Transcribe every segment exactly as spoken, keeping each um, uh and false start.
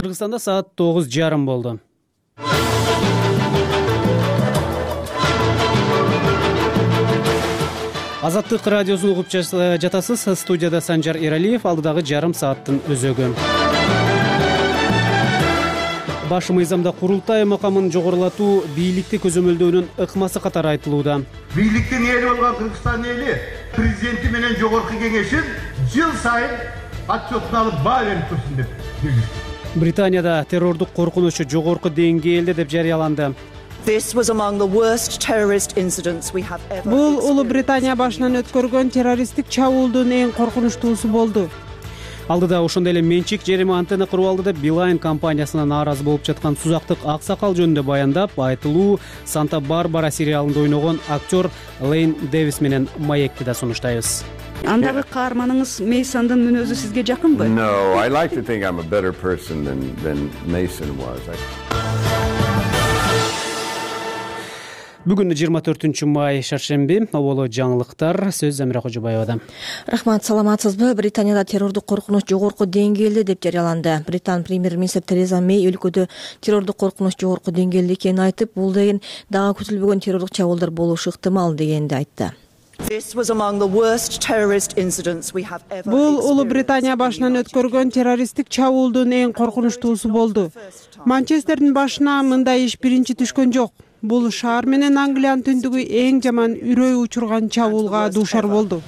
Кыргызстанда саат тогуз жарым болду. Азаттык радиосун угуп жатасыз. Студияда Санжар Эралиев, алдыдагы жарым сааттын өзөгү. Баш мыйзамда курултай макамын жогорулатуу бийликти көзөмөлдөөнүн ыкмасы катары айтылууда. Бийликтин эли болгон Кыргызстан эли президенти менен жогорку кеңешин жыл сайын отчетун алып баа берип турсун деп билдирди. Британияда террордук коркунучу жогорку деңгээлде деп жарыяланды. Бул Улуу Британия башынан өткөргөн террористтик чабуулдун эң коркунучтуусу болду. Алдыда ошондой эле менчик жерими антенна куруп алды деп Билайн компаниясына нааразы болуп жаткан Сузактык аксакал жөнүндө баяндап, айтылуу Санта-Барбара сериалында ойногон актер Лейн Дэвис менен маекти да сунуштайбыз. Андагы каарманыңыз Мейсондун мүнөзү сизге жакынбы? No, I like to think I'm a better person than than Mason was. Бүгүн жыйырма төртүнчү май шаршемби. Оболо жаңылыктар. Сөз Замира Кожобаевада. Рахмат, саламатсызбы? Британияда террордук коркунуч жогорку деңгээлде деп жарыяланды. Британ премьер-министр Тереза Мэй өлкөдө террордук коркунуч жогорку деңгээлде экенин айтып, бул деген дагы күтүлбөгөн террордук чабуулдар болушу ыктымал дегенди айтты. Бул Улуу Британия башынан өткөргөн террористтик чабуулдун эң коркунучтуусу болду. Манчестердин башына мындай иш биринчи түшкөн жок. Бул шаар менен Англиянын түндүгү эң жаман үрөй учурган чабуулга дуушар болду.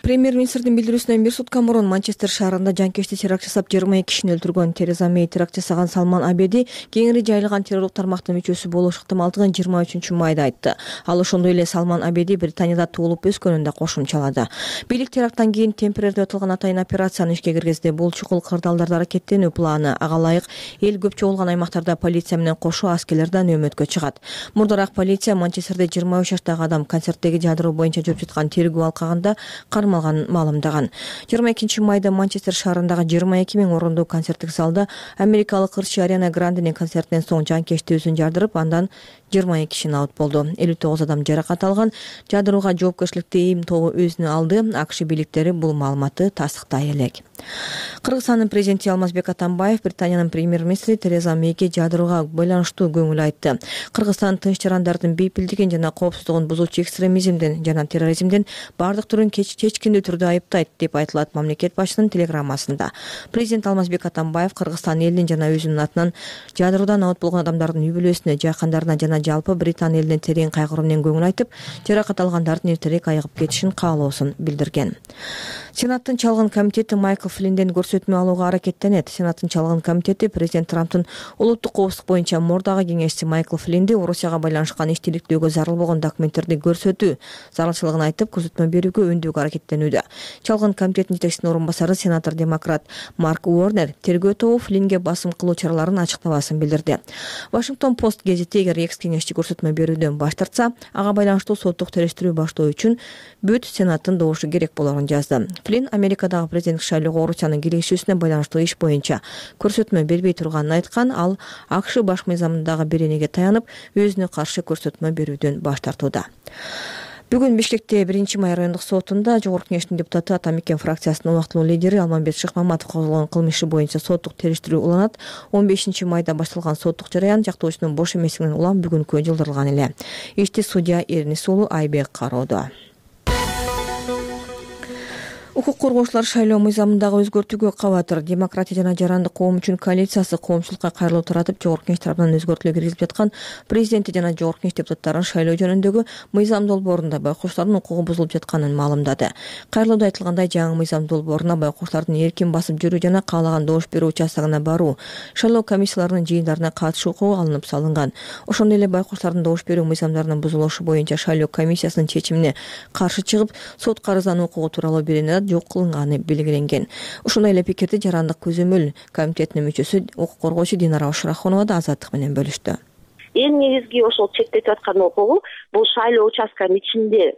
Премьер-министрдин билдирүүсүнөн бир сутка мурун Манчестер шаарында жанкечти теракт жасап жыйырма эки кишини өлтүргөн Тереза Мэй теракт жасаган Салман Абеди кеңири жайылган террордук тармактын мүчөсү болушу ыктымалдыгын жыйырма үчүнчү майда айтты. Ал ошондой эле Салман Абеди Британияда туулуп өскөнүн да кошумчалады. Бийлик теракттан кийин Темпер деп аталган атайын операцияны ишке киргизди. Бул чукул кырдаалдарда аракеттенүү планы. Ага ылайык эл көп чогулган аймактарда полиция менен кошо аскерлер да нөөмөткө чыгат. Мурдараак полиция Манчестерде жыйырма үч жаштагы адам концерттеги жадыроо боюнча жүрүп жаткан тергөө алкагында кармалганын маалымдаган. жыйырма экинчи майда Манчестер шаарындагы жыйырма эки миң орундуу концерттик залда америкалык ырчы Ариана Гранденин концертинен соң жанкечти өзүн жардырып, андан жыйырма эки киши абут болду. элүү тогуз адам жаракат алган. Жадырууга жоопкерчиликти эми тобу өзүнө алды. АКШ бийликтери бул маалыматты тастыктай элек. Кыргызстандын президенти Алмазбек Атамбаев Британиянын премьер-министри Тереза Мейге жадырууга байланыштуу көңүл айтты. Кыргызстан тынч жарандардын бейпилдигин жана коопсуздугун бузуучу экстремизмден жана терроризмден бардык түрүн чечкиндүү түрдө айыптайт деп айтылат мамлекет башчысынын телеграммасында. Президент Алмазбек Атамбаев Кыргызстан элинин жана өзүнүн атынан жадыруудан абут болгон адамдардын үй бүлөсүнө, жакындарына жана жалпы Британ элине терең кайгыруу менен көңүл айтып, жаракат алгандардын эртерээк айыгып кетишин каалоосун билдирген. Сенаттын чалгын комитети Майкл Флинден көрсөтмө алууга аракеттенет. Сенаттын чалгын комитети президент Трамптын улуттук коопсуздук боюнча мурдагы кеңешчиси Майкл Флинди Орусияга байланышкан иштиктөөгө зарыл болгон документтерди көрсөтүү зарылчылыгын айтып, көрсөтмө берүүгө өндүүгө аракеттенүүдө. Чалгын комитеттин жетекчисинин орун басары сенатор демократ Марк Уорнер тергөө тобу Флинге басым кылуу чараларын ачыктабасын билдирди. Вашингтон Пост гезити эгер экс-кеңешчи көрсөтмө берүүдөн баш тартса, ага байланыштуу соттук териштирүү баштоо үчүн бүт сенаттын добушу керек болорун жазды. Флин Америкадагы президенттик шайлоого Орусиянын киришүүсүнө байланыштуу иш боюнча көрсөтмө бербей турганын айткан. Ал АКШ баш мыйзамындагы беренеге таянып, өзүнө каршы көрсөтмө берүүдөн баш тартууда. Бүгүн Бишкекте биринчи май райондук сотунда Жогорку кеңештин депутаты Атамекен фракциясынын убактылуу лидери Алмамбет Шыкмаматов козгогон кылмыш иши боюнча соттук териштирүү уланат. он бешинчи майда башталган соттук жараян жактоочунун бош эместигинен улам бүгүнкү жылдырылган эле. Ишти судья Эрнис уулу Айбек кароодо. Укук коргоочулар шайлоо мыйзамындагы өзгөртүүгө кабатыр. Демократия жана жарандык коом үчүн коалициясы коомчулукка кайрылуу таратып, Жогорку кеңеш тарабынан өзгөртүүлөр киргизип жаткан президенти жана Жогорку кеңеш депутаттарын шайлоо жөнүндөгү мыйзам долбоорунда байкоочулардын укугу бузулуп жатканын маалымдады. Кайрылууда айтылгандай, жаңы мыйзам долбооруна байкоочулардын эркин басып жүрүү жана каалаган добуш берүү участогуна баруу, шайлоо комиссияларынын жыйындарына катышуу укугу алынып салынган. Ошондой эле байкоочулардын добуш берүү мыйзамдарынын бузулушу боюнча шайлоо комиссиясынын чечимине каршы чыгып, сотко арыздануу укугу тууралуу беренеде жок кылынганы белгиленген. Ошондой эле пикирди жарандык көзөмөл комитетинин мүчөсү укук коргоочу Динара Ошурахунова да Азаттык менен бөлүштү. Эң негизги ошол чектетип аткан укугу бул шайлоо участканын ичинде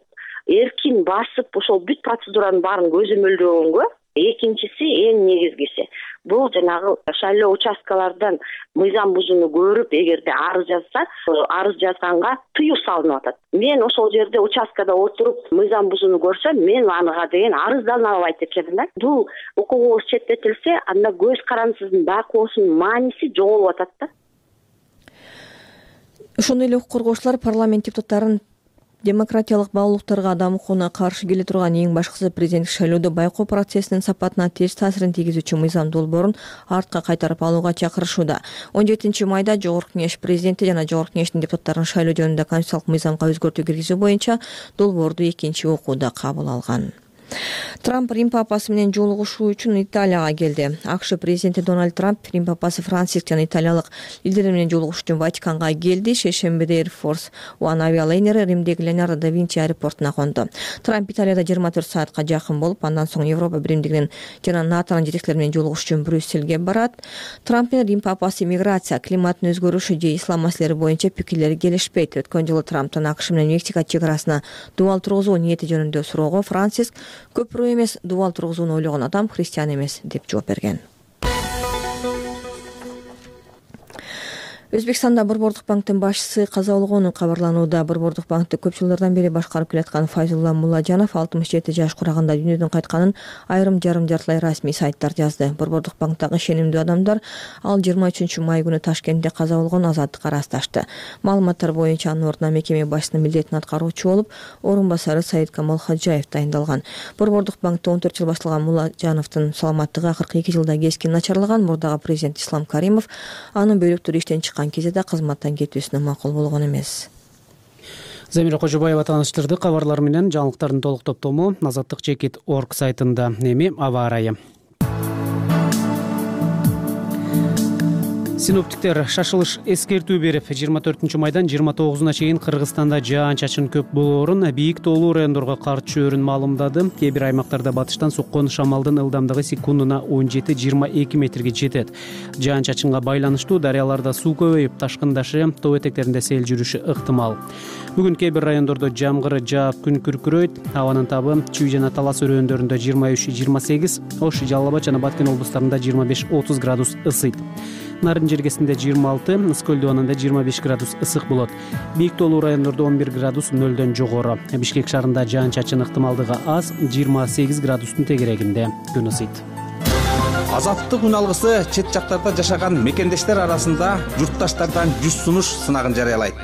эркин басып ошол бүт процедуранын баарын көзөмөлдөгөнгө. Экинчиси, эң негизгиси, бул жанагы шайлоо участкалардан мыйзам бузууну көрүп эгерде арыз жазса, арыз жазганга тыюу салынып атат. Мен ошол жерде участкада отуруп мыйзам бузууну көрсөм, мен ага деген арыздана албайт экенмин да. Бул укугубуз четтетилсе, анда көз карандысыздын байкоосунун мааниси жоголуп атат да. Ошондой эле укук коргоочулар парламент депутаттарын демократиялык баалуулуктарга, адам укугуна каршы келе турган эң башкысы президенттик шайлоодо байкоо процессинин сапатына терс таасирин тийгизүүчү мыйзам долбоорун артка кайтарып алууга чакырышууда. он жетинчи майда Жогорку Кеңеш президенти жана Жогорку Кеңештин депутаттарын шайлоо жөнүндө конституциялык мыйзамга өзгөртүү киргизүү боюнча долбоорду экинчи окууда кабыл алган. Трамп Рим папасы менен жолугушуу үчүн Италияга келди. АКШ президенти Дональд Трамп Рим папасы Франциск жана италиялык лидерлер менен жолугушуу үчүн Ватиканга келди. Шейшембиде Air Force One авиалайнери Римдеги Леонардо да Винчи аэропортуна конду. Трамп Италияда жыйырма төрт саатка жакын болуп, андан соң Европа биримдигинин жана НАТОнун жетекчилери менен жолугушуу үчүн Брюссельге барат. Трамп менен Рим папасы миграция, климаттын өзгөрүшү же ислам маселелери боюнча пикирлери келишпейт. Өткөн жылы Трамптан АКШ менен Мексика чек арасына дубал тургузуу ниети жөнүндө суроого Франциск көпүрө эмес, дубал тургузууну ойлогон адам христиан эмес деп жооп берген. Өзбекстанда Борбордук банктын башчысы каза болгону кабарланууда. Борбордук банкты көп жылдардан бери башкарып келаткан Файзулла Мулажанов алтымыш жети жаш кураганда дүйнөдөн кайтканын айрым жарым жартылай расмий сайттар жазды. Борбордук банктагы ишенимдүү адамдар ал жыйырма үчүнчү май күнү Ташкентте каза болгон Азаттыкка ырасташты. Маалыматтар боюнча анын ордуна мекеме башчысынын милдетин аткаруучу болуп, орун басары Саид Камал Хаджаев дайындалган. Борбордук банкты он төрт жыл башталган Мулажановдун саламаттыгы акыркы эки жылда кескин начарлаган. Мурдагы президент Ислам Каримов анын бөлүктөрү иштен кезде да кызматтан кетүүсүнө макул болгон эмес. Замира Кожобаева тааныштырды. Кабарлар менен жаңылыктардын толук топтому азаттык чекит точка орг сайтында. Эми аба ырайы. Синоптиктер шашылыш эскертүү берип, жыйырма төртүнчү майдан жыйырма тогузуна чейин Кыргызстанда жаан-чачын көп болоорун, бийик таулуу райондорго кар түшөөрүн маалымдады. Кээ бир аймактарда батыштан соккон шамалдын ылдамдыгы секундуна он жети жыйырма эки метрге жетет. Жаан-чачынга байланыштуу дарыяларда суу көбөйүп, ташкындашы, тоо этектеринде сел жүрүшү ыктымал. Бүгүн кээ бир райондордо жамгыр жаап, күн күркүрөйт. Абанын табы Чүй жана Талас өрөөндөрүндө жыйырма үч жыйырма сегиз, Ош, Жалал Абад жана Баткен облустарында жыйырма беш отуз градус ысыйт. Нарын жергесинде жыйырма алты, Ыскөл дубанында жыйырма беш градус ысык болот. Бийик таулуу райондордо он бир градус нөлдөн жогору. Бишкек шаарында жаан-чачын ыктымалдыгы аз, жыйырма сегиз градустун тегерегинде күн ысыйт. Азаттык күн алгысы чет жактарда жашаган мекендештер арасында журтташтардан жүз сунуш сынагын жарыялайт.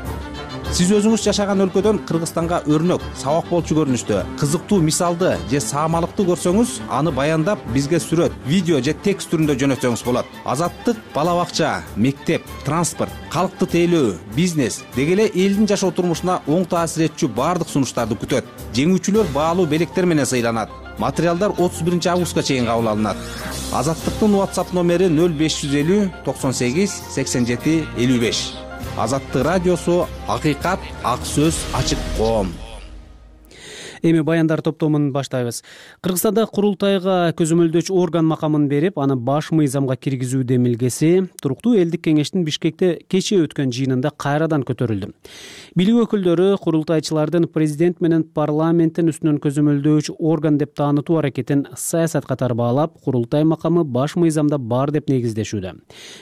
Сиз өзүңүз жашаган өлкөдөн Кыргызстанга өрнөк, сабак болчу көрүнүштө, кызыктуу мисалды же саамалыкты көрсөңүз, аны баяндап бизге сүрөт, видео же текст түрүндө жөнөтсөңүз болот. Азаттык бала бакча, мектеп, транспорт, калкты тейлөө, бизнес деги эле элдин жашоо турмушуна оң таасир этчү баардык сунуштарды күтөт. Жеңүүчүлөр баалуу белектер менен сыйланат. Материалдар отуз биринчи августка чейин кабыл алынат. Азаттыктын WhatsApp номери нөл беш жүз элүү токсон сегиз сексен жети элүү беш. Азаттык радиосу, акыйкат, ак сөз, ачык коом. Эми баяндар топтомун баштайбыз. Кыргызстанда курултайга көзөмөлдөөчү орган макамын берип, аны баш мыйзамга киргизүү демилгеси туруктуу элдик кеңештин Бишкекте кечээ өткөн жыйынында кайрадан көтөрүлдү. Бийлик өкүлдөрү курултайчылардын президент менен парламенттин үстүнөн көзөмөлдөөчү орган деп таанытуу аракетин саясат катары баалап, курултай макамы баш мыйзамда бар деп негиздешүүдө.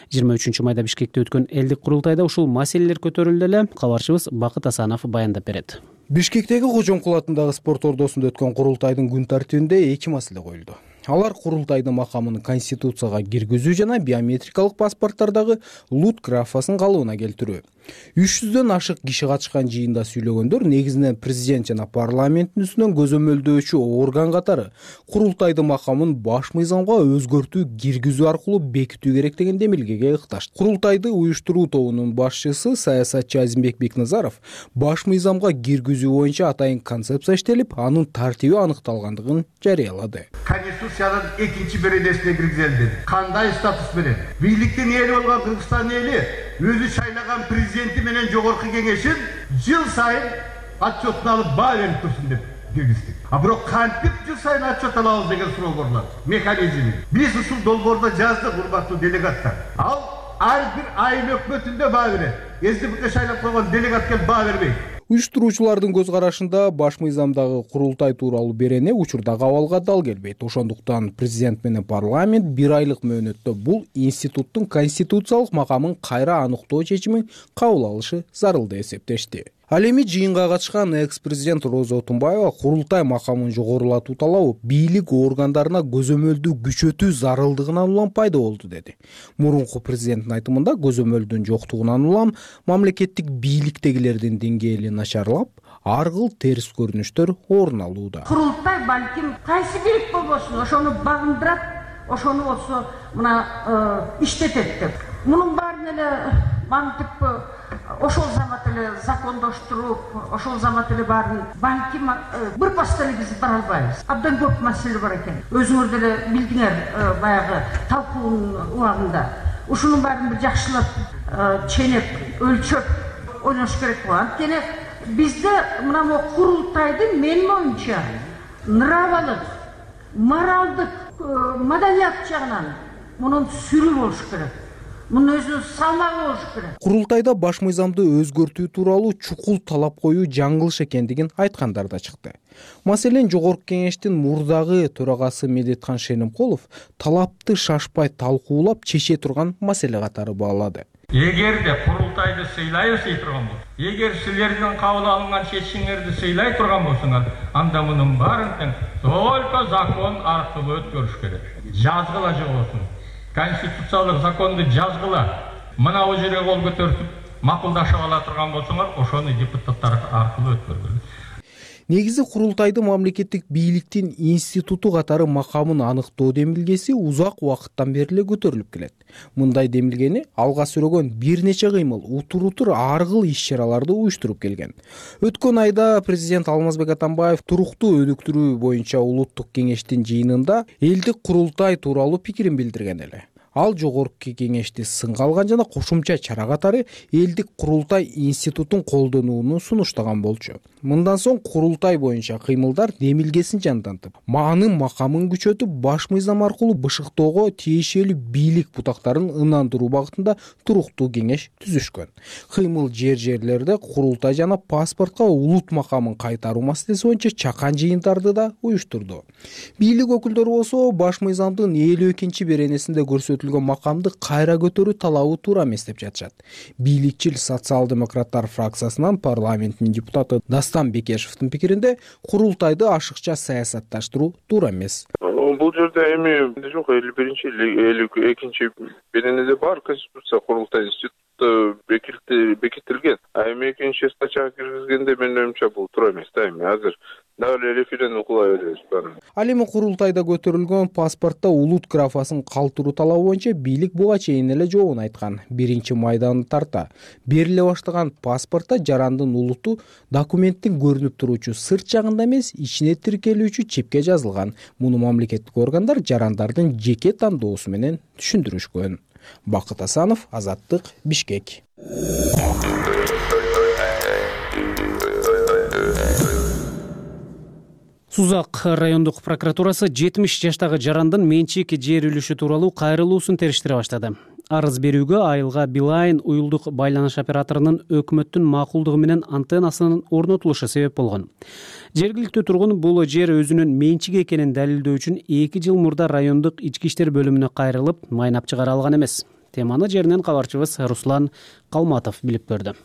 жыйырма үчүнчү майда Бишкекте өткөн элдик курултайда ушул маселелер көтөрүлдү эле. Кабарчыбыз Бакыт Асанов баяндап берет. Бишкектеги Кожоңкул атындагы спорт ордосунда өткөн курултайдын күн тартибинде эки маселе коюлду. Алар курултайдын макамын конституцияга киргизүү жана биометрикалык паспорттардагы лут графасын калыбына келтирүү. үч жүздөн ашык киши катышкан жыйында сүйлөгөндөр негизинен президент жана парламенттин үстүнөн көзөмөлдөөчү орган катары курултайдын макамын баш мыйзамга өзгөртүү киргизүү аркылуу бекитүү керек деген демилгеге ыкташты. Курултайды уюштуруу тобунун башчысы саясатчы Азимбек Бекназаров баш мыйзамга киргизүү боюнча атайын концепция иштелип, анын тартиби аныкталгандыгын жарыялады. Конституциянын экинчи беренесине киргизилди. Кандай статус менен? Бийликтин эли болгон Кыргызстан эли өзү шайлаган президенти менен Жогорку Кеңешин жыл сайын отчетун алып баа берип турсун деп киргиздик. А бирок кантип жыл сайын отчет алабыз деген суроо көрүлөт. Механизми. Биз ушул долбоордо жаздык, урматтуу делегаттар. Ал ар бир айыл өкмөтүндө баа берет. СДПК шайлап койгон делегат келип баа бербейт. уюштуруучулардын көз карашында баш мыйзамдагы курултай тууралуу берене учурда абалга дал келбейт. Ошондуктан президент менен парламент бир айлык мөөнөттө бул институттун конституциялык макамын кайра аныктоо чечимин кабыл алышы зарыл деп эсептешти. Ал эми жыйынга катышкан экс-президент Роза Отунбаева курултай макамын жогорулатуу талабы бийлик органдарына көзөмөлдү күчөтүү зарылдыгынан улам пайда болду деди. Мурунку президенттин айтымында көзөмөлдүн жоктугунан улам мамлекеттик бийликтегилердин деңгээли начарлап, ар кыл терс көрүнүштөр орун алууда. Курултай балким кайсы бийлик болбосун, ошону багындырат, ошону болсо мына иштетет деп. Мунун баарын эле мантип ошол замат эле закондоштуруп, ошол замат эле баарын балким бир баста эле биз бара албайбыз. Абдан көп маселе бар экен. Өзүңөр деле билдиңер баягы талкуунун убагында. Ушунун баарын бир жакшылап, ченеп, өлчөп ойлош керек го. Анткени бизде мына могу курултайдын менин оюмча нравалык, моралдык, маданият жагынан мунун сүрү болуш керек. Мунун өзүнүн салмагы болуш керек. Курултайда баш мыйзамды өзгөртүү тууралуу чукул талап коюу жаңылыш экендигин айткандар да чыкты. Маселен, Жогорку Кеңештин мурдагы төрагасы Медетхан Шенимкулов талапты шашпай талкуулап чече турган маселе катары баалады. Эгерде курултайды сыйлайбыз дей турган болсо, эгер силердин кабыл алынган чечимиңерди сыйлай турган болсоңор, анда мунун баарын тең только закон аркылуу өткөрүш керек. Жазгыла же болсун. Конституциялык законду жазгыла. Мына бул жерге кол көтөрүп макулдашып ала турган болсоңор, ошону депутаттар аркылуу өткөргүлө. Негизи курултайды мамлекеттик бийликтин институту катары макамын аныктоо демилгеси узак убакыттан бери эле көтөрүлүп келет. Мындай демилгени алга сүрөгөн бир нече кыймыл, утур-утур ар кыл иш-чараларды уюштуруп келген. Өткөн айда президент Алмазбек Атамбаев туруктуу өнүктүрүү боюнча улуттук кеңештин жыйынында элдик курултай тууралуу пикирин билдирген эле. Ал Жогорку Кеңешти сынга алган жана кошумча чара катары элдик курултай институтун колдонууну сунуштаган болчу. Мындан соң курултай боюнча кыймылдар демилгесин жандантып, маанын макамын күчөтүп, баш мыйзам аркылуу бышыктоого тиешелүү бийлик бутактарын ынандыруу багытында туруктуу кеңеш түзүшкөн. Кыймыл жер-жерлерде курултай жана паспортко улут макамын кайтаруу маселеси боюнча чакан жыйындарды да уюштурду. Бийлик өкүлдөрү болсо баш мыйзамдын элүү экинчи беренесинде көрсөтүлгөн макамды кайра көтөрүү талабы туура эмес деп жатышат. Бийликчил социал-демократтар фракциясынан парламенттин депутаты Дастан Бекешевдин пикиринде курултайды ашыкча саясатташтыруу туура эмес. Бул жерде эми жок, элүү биринчи элүү экинчи беренеде бар конституция курултай институты бекитилген. А эми экинчи статьяга киргизгенде менин оюмча бул туура эмес да. Эми азыр дагы референдум кыла беребиз. Ал эми курултайда көтөрүлгөн паспортто улут графасын калтыруу талабы боюнча бийлик буга чейин эле жообун айткан. Биринчи майданы тарта бериле баштаган паспортто жарандын улуту документтин көрүнүп туруучу сырт жагында эмес, ичине тиркелүүчү чипке жазылган. Муну мамлекеттик органдар жарандардын жеке тандоосу менен түшүндүрүшкөн. Бакыт Асанов, Азаттык, Бишкек. Сузак райондук прокуратурасы жетимиш жаштагы жарандын менчик жер үлүшү тууралуу кайрылуусун териштире баштады. Арыз берүүгө айылга Билайн уюлдук байланыш операторунун өкмөттүн макулдугу менен антеннасынын орнотулушу себеп болгон. Жергиликтүү тургун бул жер өзүнүн менчиги экенин далилдөө үчүн эки жыл мурда райондук ички иштер бөлүмүнө кайрылып, майнап чыгара алган эмес. Теманы жеринен кабарчыбыз Руслан Калматов билип көрдү.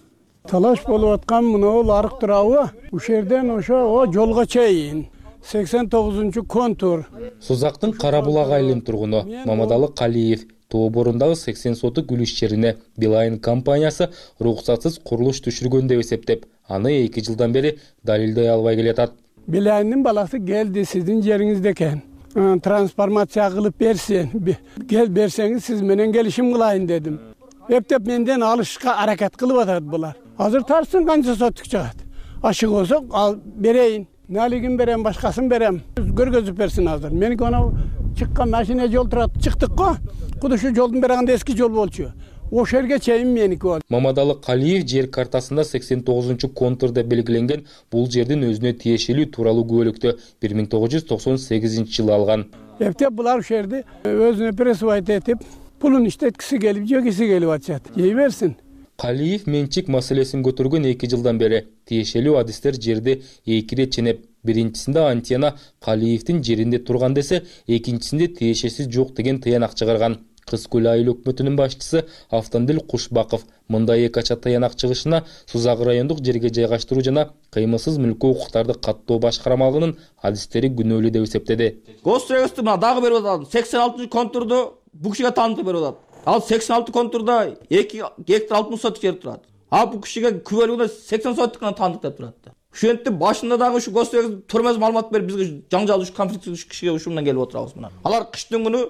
Талаш болуп аткан мынау арык турабы, ушул жерден ошо жолго чейин сексен тогузунчу контур. Сузактын Кара Булак айылынын тургуну Мамадалы Калиев тоо борундагы сексен сотук үлүш жерине Билайн компаниясы уруксатсыз курулуш түшүргөн деп эсептеп, аны эки жылдан бери далилдей албай келатат. Билайндын баласы келди, сиздин жериңизде экен. Трансформация кылып берсин. Кел берсеңиз сиз менен келишим кылайын дедим. Эптеп менден алышка аракет кылып атат булар. Азыр тарсын канча сотук чыгат. Ашык болсо ал берейин. Налигин берем, башкасын берем. Көргөзүп берсин азыр. Меники анау чыккан машина жол турат, чыктык го. Куду ушу жолдун берагында эски жол болчу. Ошол жерге чейин меники бол. Мамадалы Калиев жер картасында сексен тогузунчу контурда белгиленген бул жердин өзүнө тиешелүү тууралуу күбөлүктү бир миң тогуз жүз токсон сегизинчи жылы алган. Эптеп булар ушул жерди өзүнө присвоить этип, пулун иштеткиси келип, жегиси келип атышат. Жей берсин. Калиев менчик маселесин көтөргөн эки жылдан бери тиешелүү адистер жерди эки ирет ченеп, биринчисинде антенна Калиевдин жеринде турган десе, экинчисинде тиешеси жок деген тыянак чыгарган. Кыз Көл айыл өкмөтүнүн башчысы Автандил Кушбаков мындай эки ача тыянак чыгышына Сузак райондук жерге жайгаштыруу жана кыймылсыз мүлккө укуктарды каттоо башкармалыгынын адистери күнөөлүү деп эсептеди. Госрегистрди мына дагы берип атат. сексен алтынчы контурду бул кишиге таандык берип атат. Ал сексен алты контурда эки гектар алтымыш соток жер турат. А бул кишиге күбөлүгүнө сексен соток гана таандык деп турат. Ушентип башында дагы ушу госрегистр төрмөз маалымат берип бизге жаңжал ушу конфликт ушу кишиге ушундан келип отурабыз мына. Алар кыштын күнү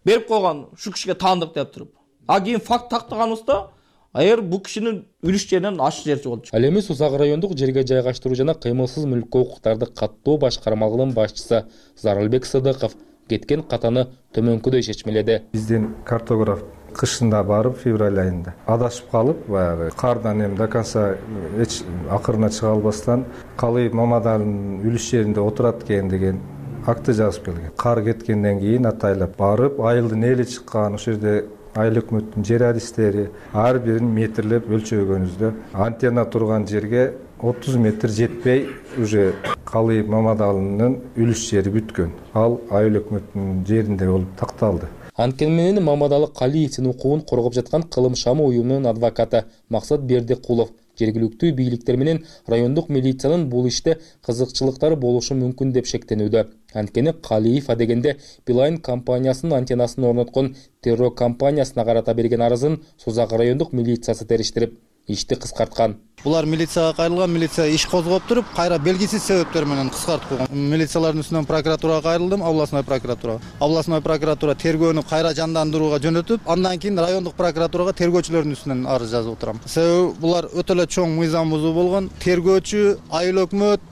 берип койгон ушу кишиге таандык деп туруп. А кийин факт тактаганыбызда эгер бул кишинин үлүш жеринен аш жерчи болчу. Ал эми Сузак райондук жерге жайгаштыруу жана кыймылсыз мүлккө укуктарды каттоо башкармалыгынын башчысы Зарылбек Сыдыков кеткен катаны төмөнкүдөй чечмеледи. Биздин картограф кышында барып, февраль айында адашып калып, баягы кардан эми до конца эч акырына чыга албастан Калиев Мамадалынын үлүш жеринде отурат экен деген акты жазып келген. Кар кеткенден кийин атайлап барып, айылдын эли чыккан, ошол жерде айыл өкмөттүн жер адистери ар бирин метрлеп өлчөгөнүздө антенна турган жерге отуз метр жетпей уже Калиев Мамадалынын үлүш жери бүткөн. Ал айыл өкмөттүнүн жеринде болуп такталды. Анткени менен Мамадалы Калиевдин укугун коргоп жаткан Кылым шамы уюмунун адвокаты Максат Бердикулов жергиликтүү бийликтер менен райондук милициянын бул иште кызыкчылыктары болушу мүмкүн деп шектенүүдө. Анткени Калиев адегенде Билайн компаниясынын антеннасын орноткон террор компаниясына карата берген арызын Сузак райондук милициясы териштирип, ишти кыскарткан. Булар милицияга кайрылган, милиция иш козгоп туруп, кайра белгисиз себептер менен кыскартып койгон. Милициялардын үстүнөн прокуратурага кайрылдым, областной прокуратурага. Областной прокуратура тергөөнү кайра жандандырууга жөнөтүп, андан кийин райондук прокуратурага тергөөчүлөрдүн үстүнөн арыз жазып отурам. Себеби булар өтө эле чоң мыйзам бузуу болгон. Тергөөчү, айыл өкмөт,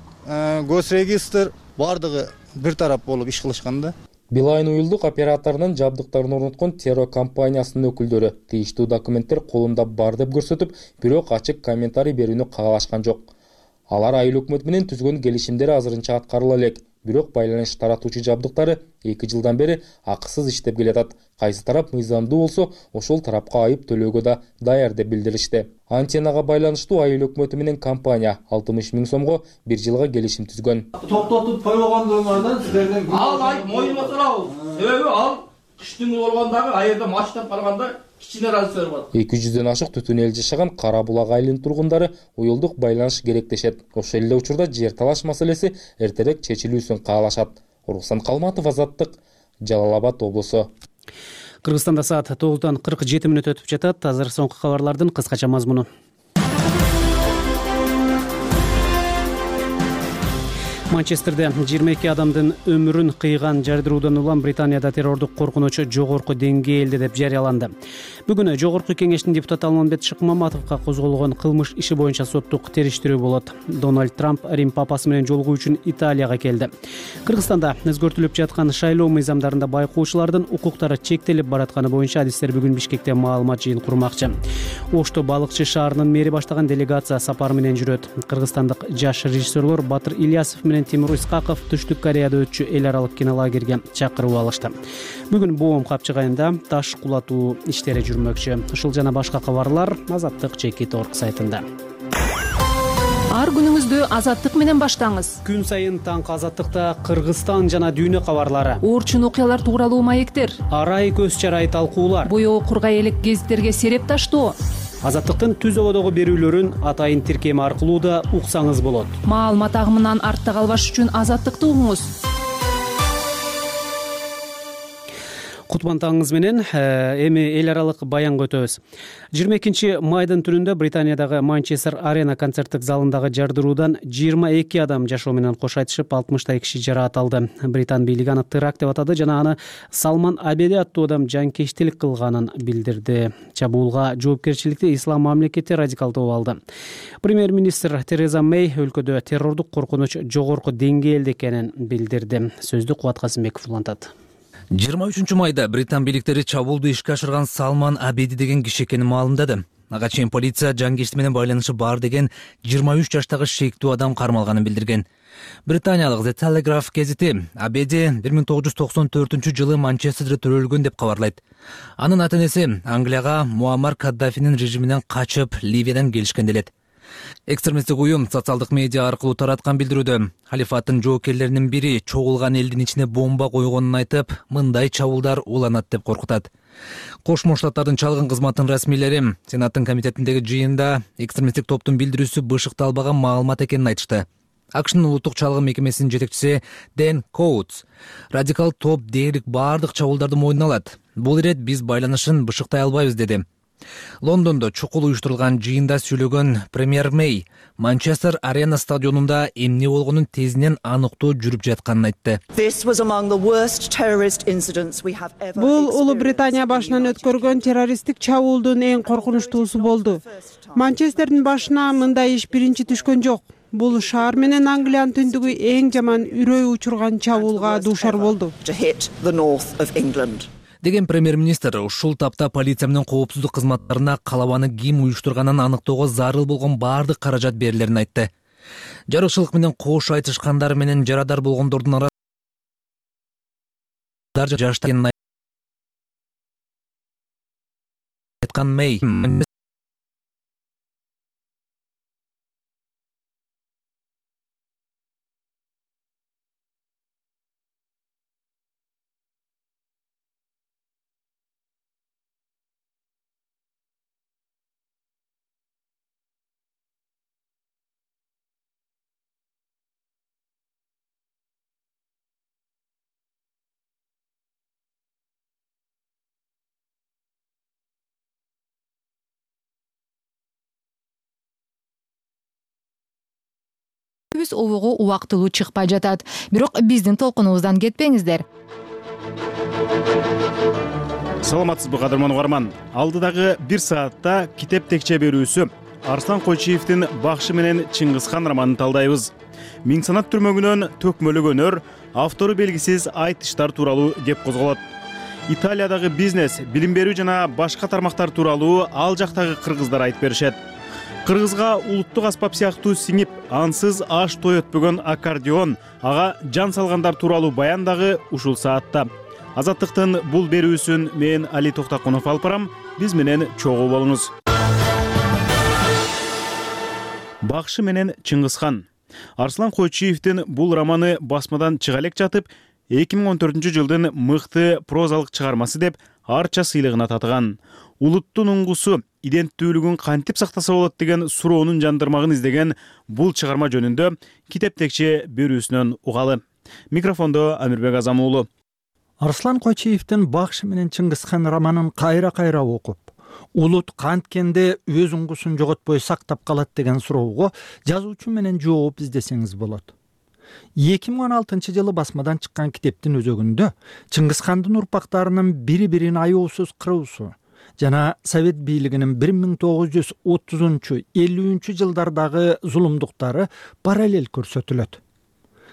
госрегистр бардыгы бир тарап болуп иш кылышкан да. Билайн уюлдук операторунун жабдыктарын орноткон террор компаниясынын өкүлдөрү тийиштүү документтер колунда бар деп көрсөтүп, бирок ачык комментарий берүүнү каалашкан жок. Алар айыл өкмөтү менен түзгөн келишимдер азырынча аткарыла элек, бирок байланыш таратуучу жабдыктары эки жылдан бери акысыз иштеп келатат. Кайсы тарап мыйзамдуу болсо, ошол тарапка айып төлөөгө да даяр деп билдиришти. Антеннага байланыштуу айыл өкмөтү менен компания алтымыш миң сомго бир жылга келишим түзгөн. Токтотуп койгондуңардан силерден ал айып моюнга турабыз. Себеби ал кыштын болгондагы айырда маштап калганда кичине разы бар. эки жүздөн ашык түтүн эл жашаган Кара Булак айылынын тургундары уюлдук байланыш керек дешет. Ошол эле учурда жер талаш маселеси эртерээк чечилүүсүн каалашат. Руслан Калматов, Азаттык, Жалал Абад облусу. Кыргызстанда саат тогуздан кырк жети мүнөт өтүп жатат. Азыр соңку кабарлардын кыскача мазмуну. Манчестерде жыйырма эки адамдын өмүрүн кыйган жардыруудан улам Британияда террордук коркунуч жогорку деңгээлде деп жарыяланды. Бүгүн Жогорку кеңештин депутаты Алмамбет Шыкмаматовго козголгон кылмыш иши боюнча соттук териштирүү болот. Дональд Трамп Рим папасы менен жолугуу үчүн Италияга келди. Кыргызстанда өзгөртүлүп жаткан шайлоо мыйзамдарында байкоочулардын укуктары чектелип баратканы боюнча адистер бүгүн Бишкекте маалымат жыйын курмакчы. Ошто балыкчы шаарынын мэри баштаган делегация сапар менен жүрөт. Кыргызстандык жаш режиссерлор Батыр Ильясов менен Тимур Исқаков Түштүк Кореяда өтчү эл аралык кинолагерге чакырып алышты. Бүгүн Боом капчыгайында таш кулатуу иштери жүрмөкчү. Ушул жана башка кабарлар Азаттык Чекит орг сайтында. Ар күнүңүздү Азаттык менен баштаңыз. Күн сайын таңкы Азаттыкта Кыргызстан жана дүйнө кабарлары, Орчун окуялар тууралуу маектер, арай көз чарай талкуулар, боёо кургай элек гезиттерге сереп таштоо. Азаттыктын түз ободогу берүүлөрүн атайын тиркем аркылуу да уксаңыз болот. Маалымат агымынан артта калбаш үчүн Азаттыкты угуңуз. Кутман таңыңыз менен эми эл аралык баянга өтөбүз. жыйырма экинчи майдын түнүндө Британиядагы Манчестер Арена концерттик залындагы жардыруудан жыйырма эки адам жашоо менен кош айтышып, алтымыштай киши жараат алды. Британ бийлиги аны теракт деп атады жана аны Салман Абеди аттуу адам жанкечтилик кылганын билдирди. Чабуулга жоопкерчиликти Ислам мамлекети радикалдуу алды. Премьер-министр Тереза Мэй өлкөдө террордук коркунуч жогорку деңгээлде экенин билдирди. Сөздү Кубат Касымбеков улантат. жыйырма үчүнчү майда Британ бийликтери чабуулду ишке ашырган Салман Абеди деген киши экенин маалымдады. ага чейин полиция жанкечти менен байланышы бар деген жыйырма үч жаштагы шектүү адам кармалганын билдирген. Британиялык The Telegraph гезити Абеди бир миң тогуз жүз токсон төртүнчү жылы Манчестерде төрөлгөн деп кабарлайт. Анын ата-энеси Англияга Муаммар Каддафинин режиминен качып Ливиядан келишкен делет. Экстремисттик уюм социалдык медиа аркылуу тараткан билдирүүдө халифаттын жоокерлеринин бири чогулган элдин ичине бомба койгонун айтып, мындай чабуулдар уланат деп коркутат. Кошмо Штаттардын чалгын кызматынын расмийлери Сенаттын комитетиндеги жыйында экстремисттик топтун билдирүүсү бышыкталбаган маалымат экенин айтышты. АКШнын улуттук чалгын мекемесинин жетекчиси Дэн Коутс радикал топ дээрлик баардык чабуулдарды мойнуна алат. Бул ирет биз байланышын бышыктай албайбыз деди. Лондондо чукул уюштурулган жыйында сүйлөгөн премьер Мэй Манчестер Арена стадионунда эмне болгонун тезинен аныктоо жүрүп жатканын айтты. Бул Улуу Британия башынан өткөргөн террористтик чабуулдун эң коркунучтуусу болду. Манчестердин башына мындай иш биринчи түшкөн жок. Бул шаар менен Англиянын түндүгү эң жаман үрөй учурган чабуулга дуушар болду деген премьер-министр ушул тапта полиция менен коопсуздук кызматтарына калабаны ким уюштурганын аныктоого зарыл болгон баардык каражат берилерин айтты. Жарыкчылык менен кош айтышкандар менен жарадар болгондордун арасында жаштаган айткан Мэй Биз обого убактылуу чыкпай жатат. Бирок биздин толкунубуздан кетпеңиздер. Саламатсызбы кадырман угарман. Алдыдагы бир саатта китеп текче берүүсү Арслан Койчиевдин Бакшы менен Чыңгызхан романын талдайбыз. Миң санат түрмөгүнөн төкмөлөгөнөр, автору белгисиз айтыштар тууралуу кеп козголот. Италиядагы бизнес, билим берүү жана башка тармактар тууралуу ал жактагы кыргыздар айтып беришет. Кыргызга улуттук аспап сыяктуу сиңип, ансыз аш той өтпөгөн аккордеон, ага жан салгандар тууралуу баян дагы ушул саатта. Азаттыктын бул берүүсүн мен Али Токтакунов алып барам. Биз менен чогуу болуңуз. Бакшы менен Чыңгызхан. Арслан Койчиевдин бул романы басмадан чыга элек жатып, эки миң он төртүнчү жылдын мыкты прозалык чыгармасы деп арча сыйлыгына татыган. Улуттун уңгусу иденттүүлүгүн кантип сактаса болот деген суроонун жандырмагын издеген бул чыгарма жөнүндө китеп текче берүүсүнөн угалы. Микрофондо Амирбек Азам уулу. Арслан Койчиевдин Бакшы менен Чыңгызхан романын кайра-кайра окуп, улут канткенде өз уңгусун жоготпой сактап калат деген суроого жазуучу менен жооп издесеңиз болот. эки миң он алтынчы жылы басмадан чыккан китептин өзөгүндө Чыңгызхандын урпактарынын бири-бирин аяосуз кыруусу жана Совет бийлигинин бир миң тогуз жүз отузунчу элүүнчү жылдардагы зулумдуктары параллель көрсөтүлөт.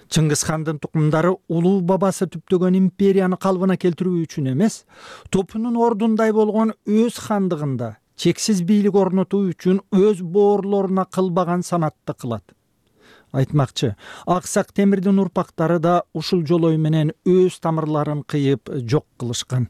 Чыңгызхандын тукумдары улуу бабасы түптөгөн империяны калыбына келтирүү үчүн эмес, топунун ордундай болгон өз хандыгында чексиз бийлик орнотуу үчүн өз боорлоруна кылбаган санатты кылат. Айтмакчы, Аксак Темирдин урпактары да ушул жолой менен өз тамырларын кыйып жок кылышкан.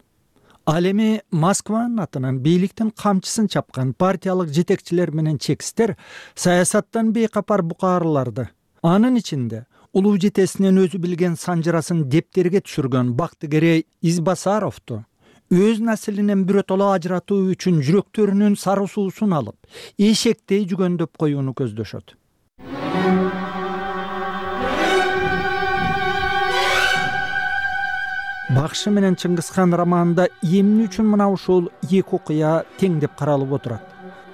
Ал эми Москванын атынан бийликтин камчысын чапкан партиялык жетекчилер менен чекистер саясаттан бейкапар букаарларды, анын ичинде улуу жетесинен өзү билген санжырасын дептерге түшүргөн Бактыгерей Избасаровду өз наслинен биротоло ажыратуу үчүн жүрөктөрүнүн сары суусун алып, эшектей жүгөндөп коюуну көздөшөт. Бакшы менен Чыңгызхан романында эмне үчүн мына ушул эки окуя тең деп каралып отурат?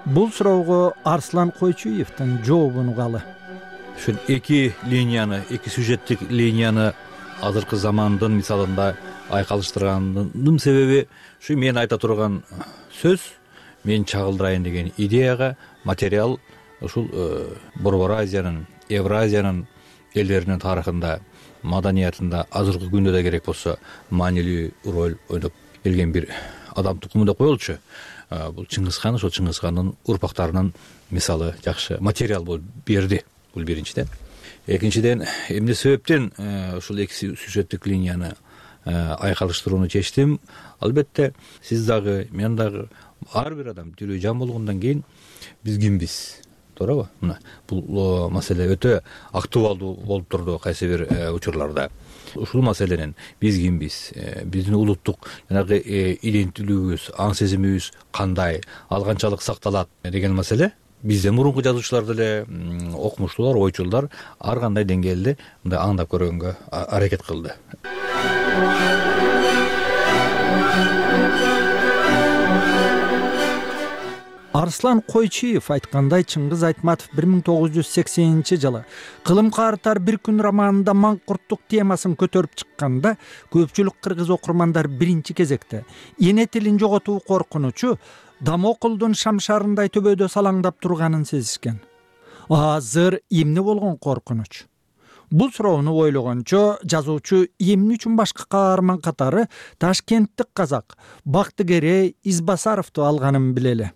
Бул суроого Арслан Койчиевдин жообун угалы. Ушул эки линияны, эки сюжеттик линияны азыркы замандын мисалында айкалыштырганымдын себеби ушу мен айта турган сөз, мен чагылдырайын деген идеяга материал ушул Борбор Азиянын, Евразиянын элдеринин тарыхында, маданиятында азыркы күндө да керек болсо маанилүү роль ойноп келген бир адам тукуму деп коелучу. Бул Чыңгыз хан ошол Чыңгыз хандын урпактарынын мисалы жакшы материал болуп берди. Бул биринчиден. Экинчиден эмне себептен ушул эки сюжеттик линияны айкалыштырууну чечтим? Албетте сиз дагы, мен дагы, ар бир адам тирүү жан болгондон кийин биз кимбиз? Туурабы? Мына бул маселе өтө актуалдуу болуп турду кайсы бир учурларда. Ушул маселенин биз кимбиз, биздин улуттук жанагы иденттүүлүгүбүз, аң сезимибиз кандай, ал канчалык сакталат деген маселе бизден мурунку жазуучулар деле, окумуштуулар, ойчулдар ар кандай деңгээлде мындай аңдап көргөнгө аракет кылды. Арслан Койчиев айткандай, Чыңгыз Айтматов бир миң тогуз жүз сексенинчи жылы Кылым каартар бир күн романында маңкурттук темасын көтөрүп чыкканда, көпчүлүк кыргыз окурмандар биринчи кезекте эне тилин жоготуу коркунучу Дамокулдун шамшарындай төбөдө салаңдап турганын сезишкен. Азыр эмне болгон коркунуч? Бул суроону ойлогончо жазуучу эмне үчүн башка каарман катары Ташкенттик казак Бактыгерей Избасаровду алганын билели.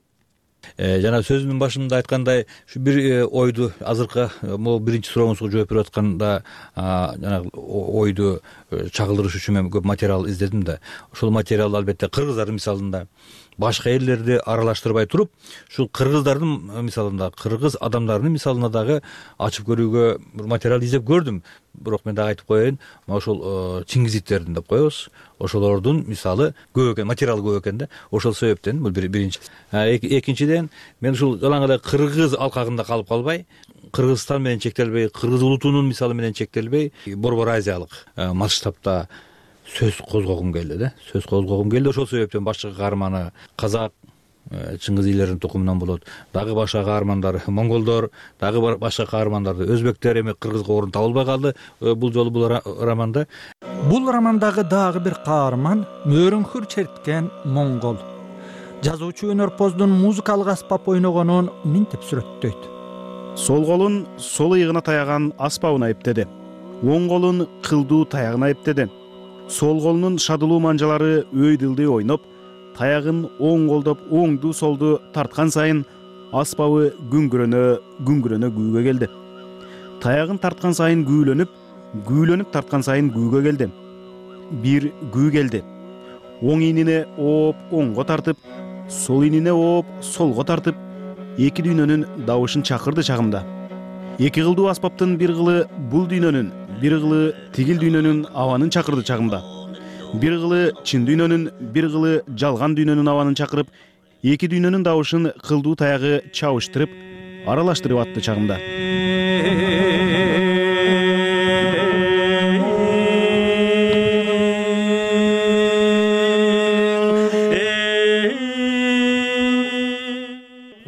Жана сөзүмдүн башында айткандай, ушу бир ойду азыркы могу биринчи сурооңузга жооп берип атканда жанагы ойду чагылдырыш үчүн мен көп материал издедим да. Ошол материал албетте кыргыздардын мисалында башка элдерди аралаштырбай туруп, ушул кыргыздардын мисалында, кыргыз адамдарынын мисалына дагы ачып көрүүгө бир материал издеп көрдүм. Бирок мен дагы айтып коеюн, ошол Чингизиттердин деп коебуз. Ошолордун мисалы көп экен, материал көп экен да. Ошол себептен бул биринчи. Экинчиден, мен ушул жалаң эле кыргыз алкагында калып калбай, Кыргызстан менен чектелбей, кыргыз улутунун мисалы менен чектелбей, Борбор Азиялык масштабта сөз козгогум келди да. Сөз козгогум келди. Ошол себептен башка каарманы казак, Чыңгыз ийлеринин тукумунан болот. Дагы башка каармандар монголдор, дагы башка каармандарды өзбектер, эми кыргызга орун табылбай калды бул жолу бул романда. Бул романдагы дагы бир каарман мөөрөңкүр черткен монгол. Жазуучу өнөрпоздун музыкалык аспап ойногонун минтип сүрөттөйт. Сол колун сол ыйыгына таяган аспабына эптеди. Оң колун кылдуу таягына эптеди. Сол колунун шадылуу манжалары өйдүлдүй ойноп, таягын оң колдоп оңду солду тарткан сайын аспабы күңгүрөнө күңгүрөнө күүгө келди. Таягын тарткан сайын күүлөнүп, күүлөнүп тарткан сайын күүгө келди. Бир күү келди. Оң ийнине ооп оңго тартып, сол ийнине ооп солго тартып, эки дүйнөнүн дабышын чакырды чагымда. Эки кылдуу аспаптын бир кылы бул дүйнөнүн, бир кылы тигил дүйнөнүн абанын чакырды чагымда. Бир кылы чын дүйнөнүн, бир кылы жалган дүйнөнүн абанын чакырып, эки дүйнөнүн дабышын кылдуу таягы чабыштырып, аралаштырып атты чагымда.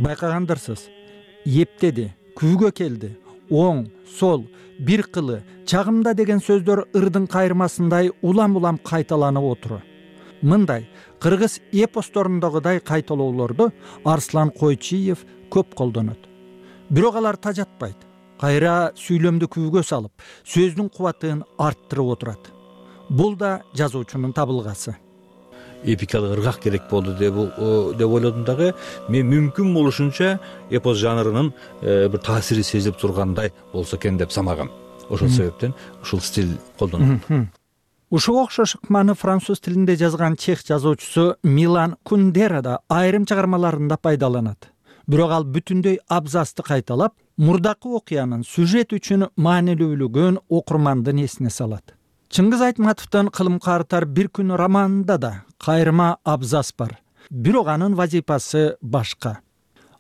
Байкагандарсыз, эптеди, күүгө келди, оң, сол, бир кылы, чагымда деген сөздөр ырдын кайрмасындай улам-улам кайталанып отуру. Мындай кыргыз эпосторундагыдай кайталоолорду Арслан Койчиев көп колдонот. Бирок алар тажатпайт. Кайра сүйлөмдү күүгө салып, сөздүн кубатын арттырып отурат. Бул да жазуучунун табылгасы. Эпикалык ыргак керек болду деп деп ойлодум дагы. Мен мүмкүн болушунча эпос жанрынын бир таасири сезилип тургандай болсо экен деп самагам. Ошол себептен ушул стиль колдонулат. Ушуга окшош ыкманы француз тилинде жазган чех жазуучусу Милан Кундера да айрым чыгармаларында пайдаланат. Бирок ал бүтүндөй абзацты кайталап, мурдакы окуянын сюжет үчүн маанилүүлүгүн окурмандын эсине салат. Чыңгыз Айтматовдун Кылым каартар бир күн романында да кайрма абзац бар. Бирок анын вазифасы башка.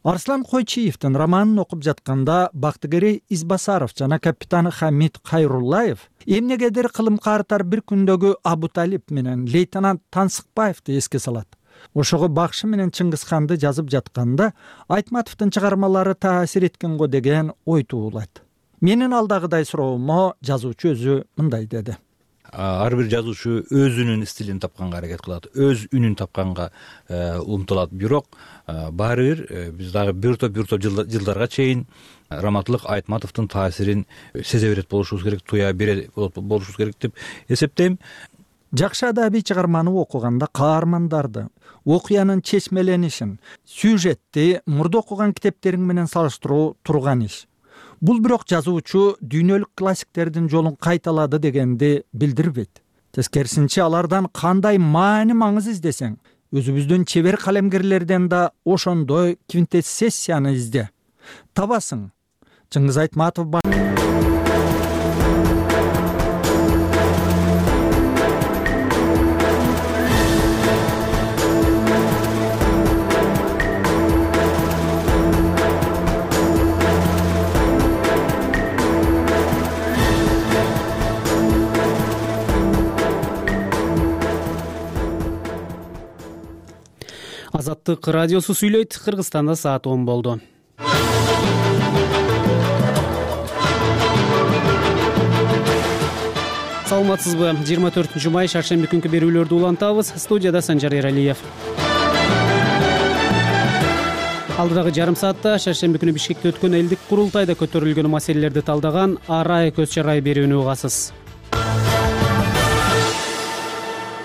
Арслан Койчиевдин романын окуп жатканда Бактыгерей Избасаров жана капитан Хамид Кайруллаев эмнегедир Кылым каартар бир күндөгү Абуталип менен лейтенант Тансыкбаевди эске салат. Ошого Бакшы менен Чыңгызханды жазып жатканда Айтматовдун чыгармалары таасир эткен го деген ой туулайт. Менин алдагыдай суроомо жазуучу өзү мындай деди. Ар бир жазуучу өзүнүн стилин тапканга аракет кылат, өз үнүн тапканга умтулат. Бирок баары бир биз дагы бир топ бир топ жылдарга чейин Раматылык Айтматовдун таасирин сезе берет болушубуз керек, туя бере болушубуз керек деп эсептейм. жакшы адабий чыгарманы окуганда каармандарды, окуянын чечмеленишин, сюжетти мурда окуган китептериң менен салыштыруу турган иш. Бул бирок жазуучу дүйнөлүк классиктердин жолун кайталады дегенди билдирбейт. Тескерисинче алардан кандай маани маңыз издесең, өзүбүздүн чебер калемгерлерден да ошондой квинтэссенцияны изде. Табасың. Чыңгыз Айтматов. Азаттык радиосу сүйлөйт. Кыргызстанда саат он болду. Саламатсызбы? жыйырма төртүнчү май шаршемби күнкү берүүлөрдү улантабыз. Студияда Санжар Эралиев. Алдыдагы жарым саатта шаршемби күнү Бишкекте өткөн элдик курултайда көтөрүлгөн маселелерди талдаган арай көз чарай берүүнү угасыз.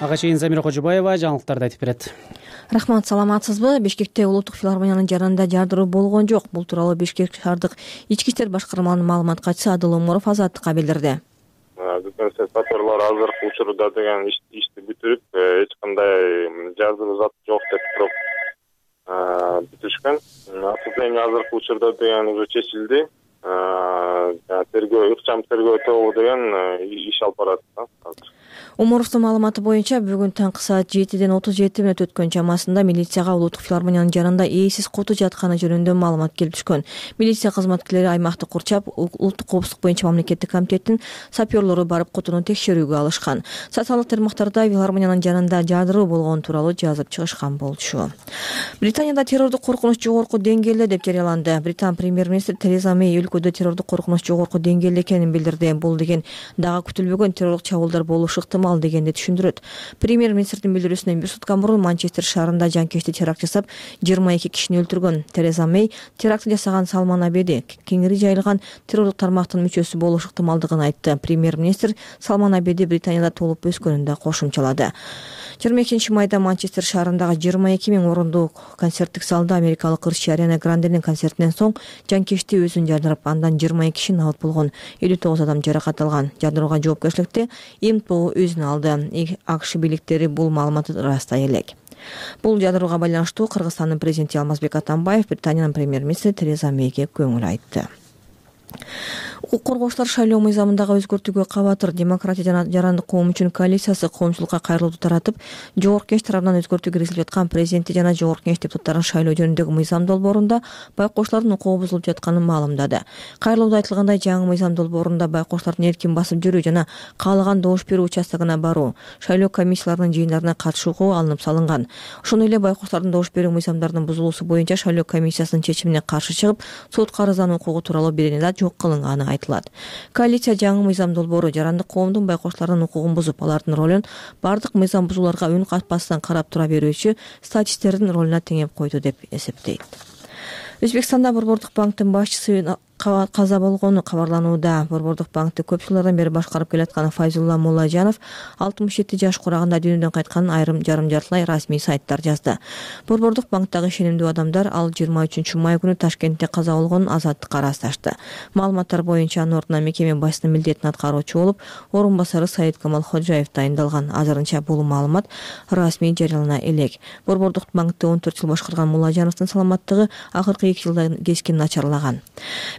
Ага чейин Замира Кожобаева жаңылыктарды айтып берет. Рахмат, саламатсызбы? Бишкекте улуттук филармониянын жаранында жардыруу болгон жок. Бул тууралуу Бишкек шаардык ички иштер башкармаларынын маалымат катчысы Адыл Оморов Азаттыкка билдирди. Бүтүн сапарлар азыркы учурда деген ишти бүтүрүп, эч кандай жазуу зат жок деп туруп бүтүшкөн. Отступление азыркы учурда деген уже чечилди. Тергөө, ыкчам тергөө тобу деген иш алып барат. Оморовдун маалыматы боюнча бүгүн таңкы саат жетиден отуз жети мүнөт өткөн чамасында милицияга улуттук филармониянын жаранында ээсиз куту жатканы жөнүндө маалымат келип түшкөн. Милиция кызматкерлери аймакты курчап, улуттук коопсуздук боюнча мамлекеттик комитеттин сапёрлору барып кутуну текшерүүгө алышкан. Социалдык тармактарда филармониянын жанында жардыруу болгон тууралуу жазып чыгышкан болчу. Британияда террордук коркунуч жогорку деңгээлде деп жарыяланды. Британ премьер-министри Тереза Мэй өлкөдө террордук коркунуч жогорку деңгээлде экенин билдирди. Бул деген дагы күтүлбөгөн террордук чабуулдар болушу ыктымал дегенди түшүндүрөт. Премьер-министрдин билдирүүсүнөн бир сутка мурун Манчестер шаарында жанкечти теракт жасап, жыйырма эки кишини өлтүргөн Тереза Мэй терактты жасаган Салман Абеди кеңири жайылган террордук тармактын мүчөсү болушу ыктымалдыгын айтты. Премьер-министр Салман Абеди Британияда туулуп өскөнүн да кошумчалады. жыйырма экинчи майда Манчестер шаарындагы жыйырма эки миң орундуу концерттик залда америкалык ырчы Ариана Гранденин концертинен соң жанкечти өзүн жардырып, андан жыйырма эки киши набыт болгон, элүү тогуз адам жаракат алган. Жардырууга жоопкерчиликти ИМТО өзүнө алды. АКШ бийликтери бул маалыматты ырастай элек. Бул жардырууга байланыштуу Кыргызстандын президенти Алмазбек Атамбаев Британиянын премьер-министри Тереза Мейге көңүл айтты. Укук коргоочулар шайлоо мыйзамындагы өзгөртүүгө кабатыр. Демократия жана жарандык коом үчүн коалициясы коомчулукка кайрылууду таратып, жогорку кеңеш тарабынан өзгөртүү киргизилип жаткан президенти жана жогорку кеңеш депутаттарын шайлоо жөнүндөгү мыйзам долбоорунда байкоочулардын укугу бузулуп жатканын маалымдады. Кайрылууда айтылгандай, жаңы мыйзам долбоорунда байкоочулардын эркин басып жүрүү жана каалаган добуш берүү участогуна баруу, шайлоо комиссияларынын жыйындарына катышуу укугу алынып салынган. Ошондой эле байкоочулардын добуш берүү мыйзамдарынын бузулуусу боюнча шайлоо комиссиясынын чечимине каршы чыгып, сотко арыздануу укугу тууралуу бирени да жок кылынганы айтылат. Коалиция жаңы мыйзам долбоору жарандык коомдун байкоочулардын укугун бузуп, алардын ролун бардык мыйзам бузууларга үн катпастан карап тура берүүчү статисттердин ролуна теңеп койду деп эсептейт. Өзбекстанда Борбордук банктын башчысы каза болгону кабарланууда. Борбордук банкты көп жылдардан бери башкарып келаткан Файзулла Муллажанов алтымыш жети жаш курагында дүйнөдөн кайтканын айрым жарым жартылай расмий сайттар жазды. Борбордук банктагы ишенимдүү адамдар ал жыйырма үчүнчү май күнү Ташкентте каза болгонун Азаттыкка ырасташты. Маалыматтар боюнча анын ордуна мекеме башчысынын милдетин аткаруучу болуп, орун басары Саид Камал Ходжаев дайындалган. Азырынча бул маалымат расмий жарыялана элек. Борбордук банкты он төрт жыл башкарган Муллажановдун саламаттыгы акыркы эки жылдан кескин начарлаган.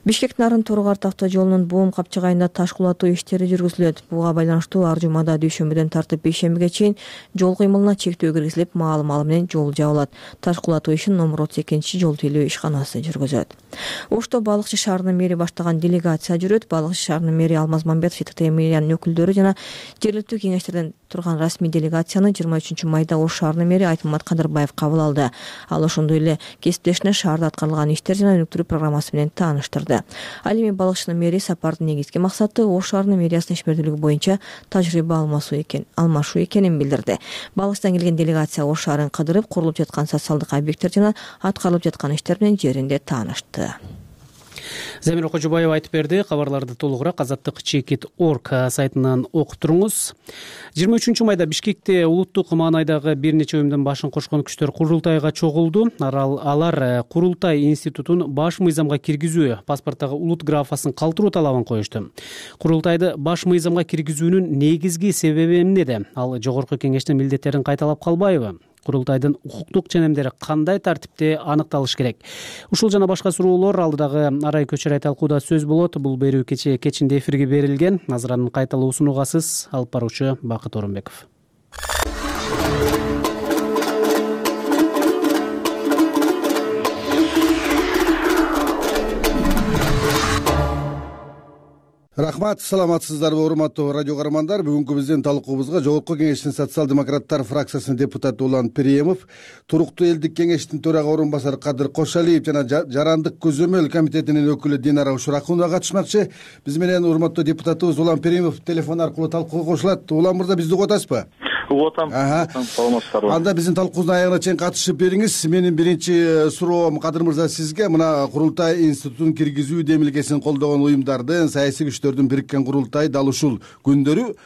Бишкек Нарын Торугар автожолунун боом капчыгайында таш кулатуу иштери жүргүзүлөт. Буга байланыштуу ар жумада дүйшөмбүдөн тартып бейшембиге чейин жол кыймылына чектөө киргизилип, маал-маал менен жол жабылат. Таш кулатуу ишин номер отуз экинчи жол тейлөө ишканасы жүргүзөт. Ошто Балыкчы шаарынын мэри баштаган делегация жүрөт. Балыкчы шаарынын мэри Алмаз Мамбетов, ТТ мэриянын өкүлдөрү жана жергиликтүү кеңештерден турган расмий делегацияны жыйырма үчүнчү майда Ош шаарынын мэри Айтмамат Кадырбаев кабыл алды. Ал ошондой эле кесиптешине шаарда аткарылган иштер жана өнүктүрүү программасы менен тааныштырды. Ал эми Балыкчынын мэри сапардын негизги максаты Ош шаарынын мэриясынын ишмердүүлүгү боюнча тажрыйба алмашуу экен, алмашуу экенин билдирди. Балыкчыдан келген делегация Ош шаарын кыдырып, курулуп жаткан социалдык объекттер жана аткарылып жаткан иштер менен жеринде таанышты. Замира Кожобаева айтып берди. Кабарларды толугураак азаттык чекит точка орг сайтынан окуп туруңуз. жыйырма үчүнчү майда Бишкекте улуттук маанайдагы бир нече уюмдун башын кошкон күчтөр курултайга чогулду. Алар Курултай институтун баш мыйзамга киргизүү, паспорттогу улут графасын калтыруу талабын коюшту. Курултайды баш мыйзамга киргизүүнүн негизги себеби эмнеде? Ал жогорку кеңештин милдеттерин кайталап калбайбы? Курултайдын укуктук ченемдери кандай тартипте аныкталыш керек? Ушул жана башка суроолор алдыдагы Арай Көчөрай талкууда сөз болот. Бул берүү кечээ кечинде эфирге берилген. Назыранын кайталоосун угасыз. Алып баруучу Бакыт Орунбеков. Рахмат, саламатсыздарбы урматтуу радио каармандар. Бүгүнкү биздин талкуубузга Жогорку кеңештин социал-демократтар фракциясынын депутаты Улан Периемов, Туруктуу элдик кеңештин төрага орун басары Кадыр Кошалиев жана Жарандык көзөмөл комитетинин өкүлү Динара Ушуракунова катышмакчы. Биз менен урматтуу депутатыбыз Улан Периемов телефон аркылуу талкууга кошулат. Улан мырза, бизди угуп атасызбы? Угуп атам. Саламатсыздарбы? Анда биздин талкуубуздун аягына чейин катышып бериңиз. Менин биринчи суроом Кадыр мырза сизге. Мына Курултай институтун киргизүү демилгесин колдогон уюмдардын, саясий күчтөрдүн бириккен курултай дал ушул күндөрү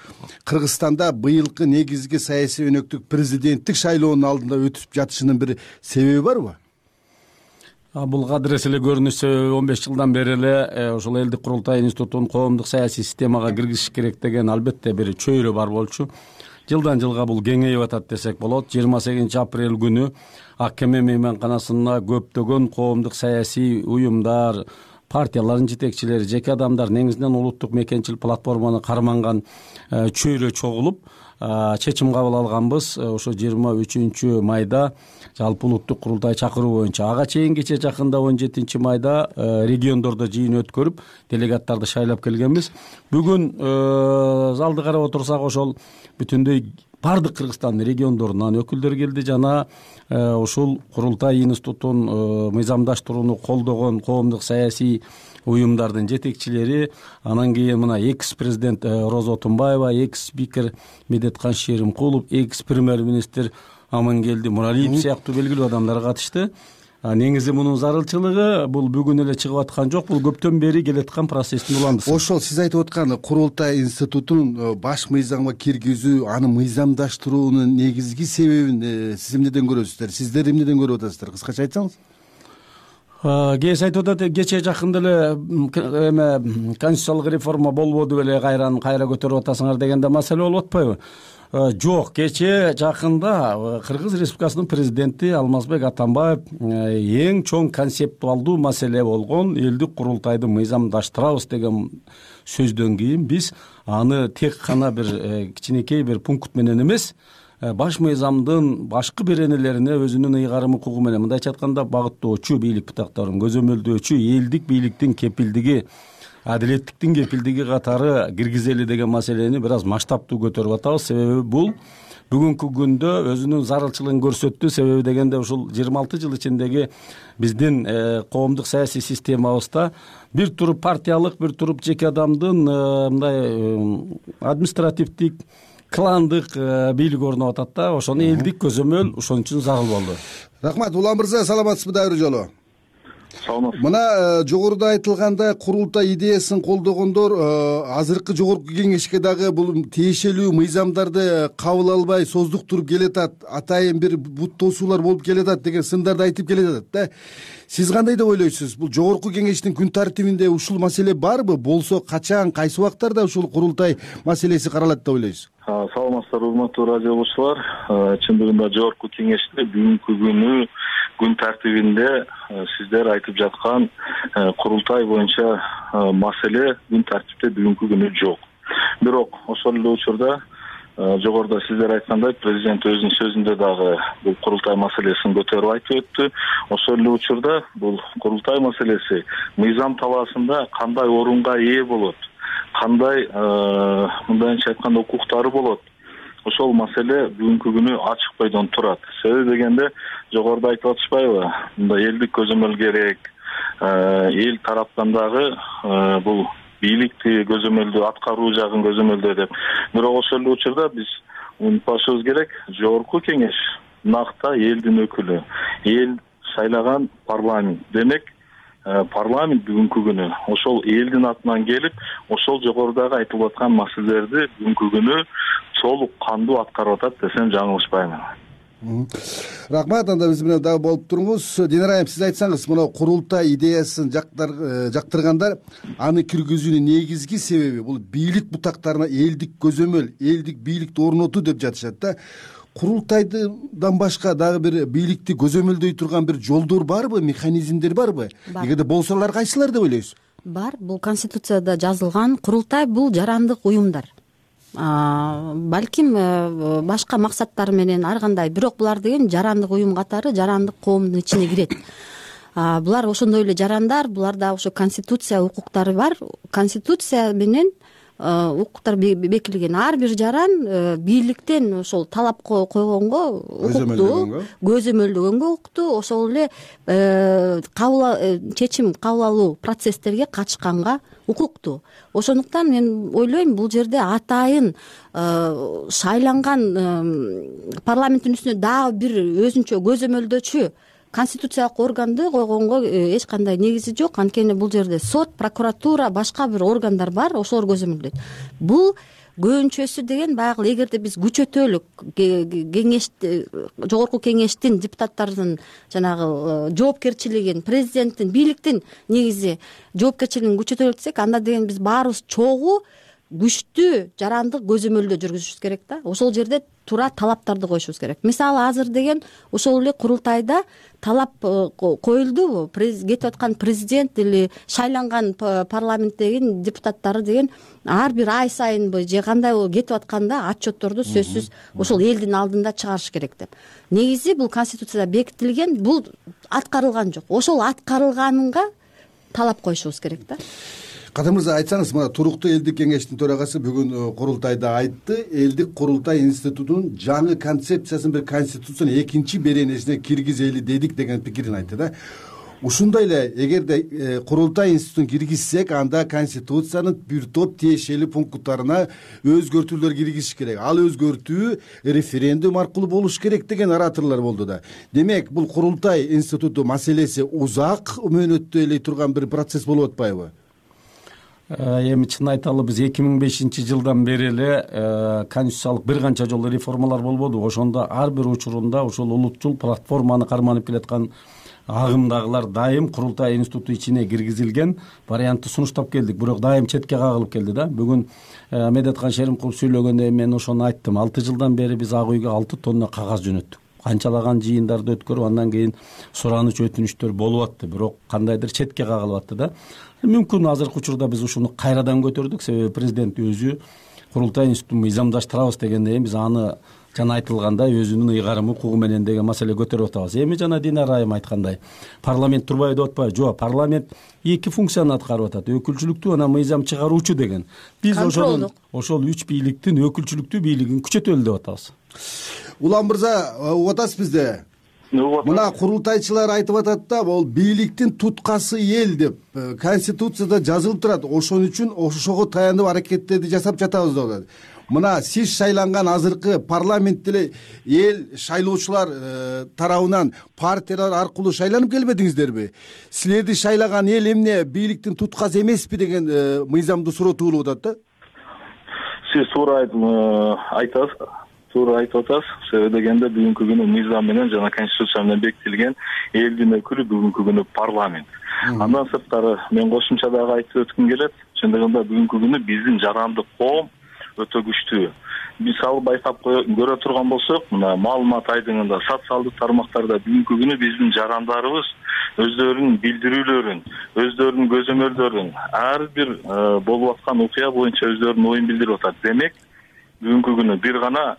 Кыргызстанда быйылкы негизги саясий өнөктүк президенттик шайлоонун алдында өтүп жатышынын бир себеби барбы? Бул кадыр эс эле көрүнүш себеби он беш жылдан бери эле ушул элдик курултай институтун коомдук саясий системага киргизиш керек деген албетте бир чөйрө бар болчу. Жылдан жылга бул кеңейип атат десек болот. жыйырма сегизинчи апрель күнү Ак Кеме мейманканасына көптөгөн коомдук саясий уюмдар, партиялардын жетекчилери, жеке адамдар, негизинен улуттук мекенчил платформаны карманган чөйрө чогулуп чечим кабыл алганбыз. Ошо жыйырма үчүнчү майда жалпы улуттук курултай чакыруу боюнча. Ага чейин кечээ жакында он жетинчи майда региондордо жыйын өткөрүп делегаттарды шайлап келгенбиз. Бүгүн залды карап отурсак ошол бүтүндөй бардык Кыргызстандын региондорунан өкүлдөр келди жана ушул курултай институтун мыйзамдаштырууну колдогон коомдук саясий уюмдардын жетекчилери, анан кийин мына экс президент Роза Отунбаева, экс спикер Медеткан Шеримкулов, экс премьер-министр Амангелди Муралиев сыяктуу белгилүү адамдар катышты. Негизи мунун зарылчылыгы бул бүгүн эле чыгып аткан жок, бул көптөн бери келаткан процесстин уландысы. Ошол сиз айтып аткан курултай институтун баш мыйзамга киргизүү, аны мыйзамдаштыруунун негизги себебин сиз эмнеден көрөсүздөр? Сиздер эмнеден көрүп атасыздар? Кыскача айтсаңыз. Кээси айтып атат, кечээ жакында эле эме конституциялык реформа болбоду беле, кайран кайра көтөрүп атасыңар дегенде маселе болуп атпайбы? Жок, кечээ жакында Кыргыз Республикасынын президенти Алмазбек Атамбаев эң чоң концептуалдуу маселе болгон элдик курултайды мыйзамдаштырабыз деген сөздөн кийин биз аны тек гана бир кичинекей бир пункт менен эмес, баш мыйзамдын башкы беренелерине өзүнүн ыйгарым укугу менен, мындайча айтканда, багыттоочу бийлик бутактарын көзөмөлдөөчү элдик бийликтин кепилдиги, адилеттиктин кепилдиги катары киргизели деген маселени бир аз масштабтуу көтөрүп атабыз. Себеби бул бүгүнкү күндө өзүнүн зарылчылыгын көрсөттү. Себеби дегенде ушул жыйырма алты жыл ичиндеги биздин коомдук саясий системабызда бир туруп партиялык, бир туруп жеке адамдын мындай административдик, кландык бийлик орноп атат да. Ошону элдик көзөмөл ошон үчүн зарыл болду. Рахмат. Улан мырза, саламатсызбы дагы бир жолу? Мына жогоруда айтылгандай курултай идеясын колдогондор азыркы жогорку кеңешке дагы бул тиешелүү мыйзамдарды кабыл албай создуктуруп келатат, атайын бир бут тосуулар болуп келатат деген сындарды айтып келатат да. Сиз кандай деп ойлойсуз? Бул жогорку кеңештин күн тартибинде ушул маселе барбы? Болсо качан, кайсы убактарда ушул курултай маселеси каралат деп ойлойсуз? Саламатсыздар, урматтуу радио окуучулар. Чындыгында жогорку кеңеште бүгүнкү күнү күн тартибинде сиздер айтып жаткан курултай боюнча маселе күн тартипте бүгүнкү күнү жок. Бирок ошол эле учурда жогоруда сиздер айткандай президент өзүнүн сөзүндө дагы бул курултай маселесин көтөрүп айтып өттү. Ошол эле учурда бул курултай маселеси мыйзам талаасында кандай орунга ээ болот, кандай мындайча айтканда укуктары болот, ошол маселе бүгүнкү күнү ачык бойдон турат. Себеби дегенде жогоруда айтып атышпайбы, мындай элдик көзөмөл керек, эл тараптан дагы бул бийликти көзөмөлдөө, аткаруу жагын көзөмөлдөө деп. Бирок ошол эле учурда биз унутпашыбыз керек, жогорку кеңеш накта элдин өкүлү, эл шайлаган парламент. Демек, парламент бүгүнкү күнү ошол элдин атынан келип ошол жогорудагы айтылып аткан маселелерди бүгүнкү күнү толук кандуу аткарып атат десем жаңылышпаймын. Рахмат. Анда биз менен дагы болуп туруңуз. Динара айым, сиз айтсаңыз, мына курултай идеясын жактыргандар аны киргизүүнүн негизги себеби бул бийлик бутактарына элдик көзөмөл, элдик бийликти орнотуу деп жатышат да. Курултайдан башка дагы бир бийликти көзөмөлдөй турган бир жолдор барбы, механизмдер барбы? Эгерде болсо алар кайсылар деп ойлойсуз? Бар. Бул Конституцияда жазылган. Курултай бул жарандык уюмдар. Балким башка максаттар менен ар кандай, бирок булар деген жарандык уюм катары жарандык коомдун ичине кирет. Булар ошондой эле жарандар, буларда ошо конституция укуктары бар. Конституция менен укуктар бекилген. Ар бир жаран бийликтен ошол талап койгонго укуктуу, көзөмөлдөгөнгө укуктуу, ошол эле кабыл чечим кабыл алуу процесстерге катышканга укуктуу. Ошондуктан мен ойлойм, бул жерде атайын шайланган парламенттин үстүнө дагы бир өзүнчө көзөмөлдөөчү конституциялык органды койгонго эч кандай негизи жок. Анткени бул жерде сот, прокуратура, башка бир органдар бар, ошолор көзөмөлдөйт. Бул көбүнчөсү деген баягы эгерде биз күчөтөлүк кеңеш, жогорку кеңештин депутаттардын жанагы жоопкерчилигин, президенттин, бийликтин негизи жоопкерчилигин күчөтөлүк десек, анда деген биз баарыбыз чогуу күчтүү жарандык көзөмөлдөө жүргүзүшүбүз керек да. Ошол жерде туура талаптарды коюшубуз керек. Мисалы азыр деген ошол эле курултайда талап коюлду. Кетип аткан президент или шайланган парламенттеги депутаттары деген ар бир ай сайынбы же кандай кетип атканда отчетторду сөзсүз ошол элдин алдында чыгарыш керек деп. Негизи бул Конституцияда бекитилген, бул аткарылган жок. Ошол аткарылганынга талап коюшубуз керек да. Кадыр мырза, айтсаңыз, мына туруктуу элдик кеңештин төрагасы бүгүн курултайда айтты, элдик курултай институтунун жаңы концепциясын бир конституциянын экинчи беренесине киргизели дедик деген пикирин айтты да. Ушундай эле эгерде курултай институтун киргизсек, анда конституциянын бир топ тиешелүү пункттарына өзгөртүүлөр киргизиш керек. Ал өзгөртүү референдум аркылуу болуш керек деген ораторлор болду да. Демек, бул курултай институту маселеси узак мөөнөттөй турган бир процесс болуп атпайбы? Эми чын айталы, биз эки миң бешинчи жылдан бери эле конституциялык бир канча жолу реформалар болбоду. Ошондо ар бир учурунда ошол улутчул платформаны карманып келаткан агымдагылар дайым курултай институту ичине киргизилген вариантты сунуштап келдик, бирок дайым четке кагылып келди да. Бүгүн Медеткан Шеримкулов сүйлөгөндө мен ошону айттым. алты жылдан бери биз ак үйгө алты тонна кагаз жөнөттүк. Канчалаган жыйындарды өткөрүп, андан кийин сураныч өтүнүчтөр болуп атты, бирок кандайдыр четке кагылып атты да. Мүмкүн азыркы учурда биз ушуну кайрадан көтөрдүк, себеби президент өзү курултай институтун мыйзамдаштырабыз дегенден кийин биз аны жана айтылгандай өзүнүн ыйгарым укугу менен деген маселе көтөрүп атабыз. Эми жана Динара айым айткандай, парламент турбайбы деп атпайбы? Жок, парламент эки функцияны аткарып атат. Өкүлчүлүктүү жана мыйзам чыгаруучу деген. Биз ошол ошол үч бийликтин өкүлчүлүктүү бийлигин күчөтөлү деп атабыз. Улам мырза, угуп атасыз бизде? Мына курултайчылар айтып атат да, бул бийликтин туткасы эл деп конституцияда жазылып турат. Ошон үчүн ошого таянып аракеттерди жасап жатабыз деп атат. Мына сиз шайланган азыркы парламент деле эл шайлоочулар тарабынан партиялар аркылуу шайланып келбедиңиздерби? Силерди шайлаган эл эмне бийликтин туткасы эмеспи деген мыйзамды суротуулуп атат да. Сиз туура айтасыз. Туура айтып атасыз. Себеби дегенде бүгүнкү күнү мыйзам менен жана конституция менен бекитилген элдин өкүлү бүгүнкү күнү парламент. Андан сырткары мен кошумча дагы айтып өткүм келет. Чындыгында бүгүнкү күнү биздин жарандык коом өтө күчтүү. Биз ал байкап көрө турган болсок, мына маалымат айдыңында, социалдык тармактарда бүгүнкү күнү биздин жарандарыбыз өздөрүнүн билдирүүлөрүн, өздөрүнүн көзөмөлдөрүн, ар бир болуп аткан окуя боюнча өздөрүнүн оюн билдирип атат. Демек, бүгүнкү күнү бир гана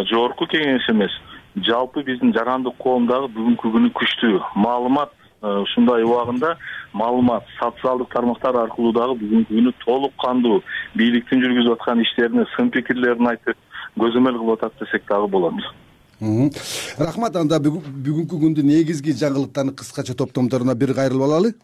жогорку кеңеш эмес, жалпы биздин жарандык коом дагы бүгүнкү күнү күчтүү. Маалымат ушундай убагында маалымат социалдык тармактар аркылуу дагы бүгүнкү күнү толук кандуу бийликтин жүргүзүп аткан иштерине сын пикирлерин айтып көзөмөл кылып атат десек дагы болот. Рахмат. Анда бүгүнкү күндүн негизги жаңылыктарын кыскача топтомдоруна бир кайрылып алалы.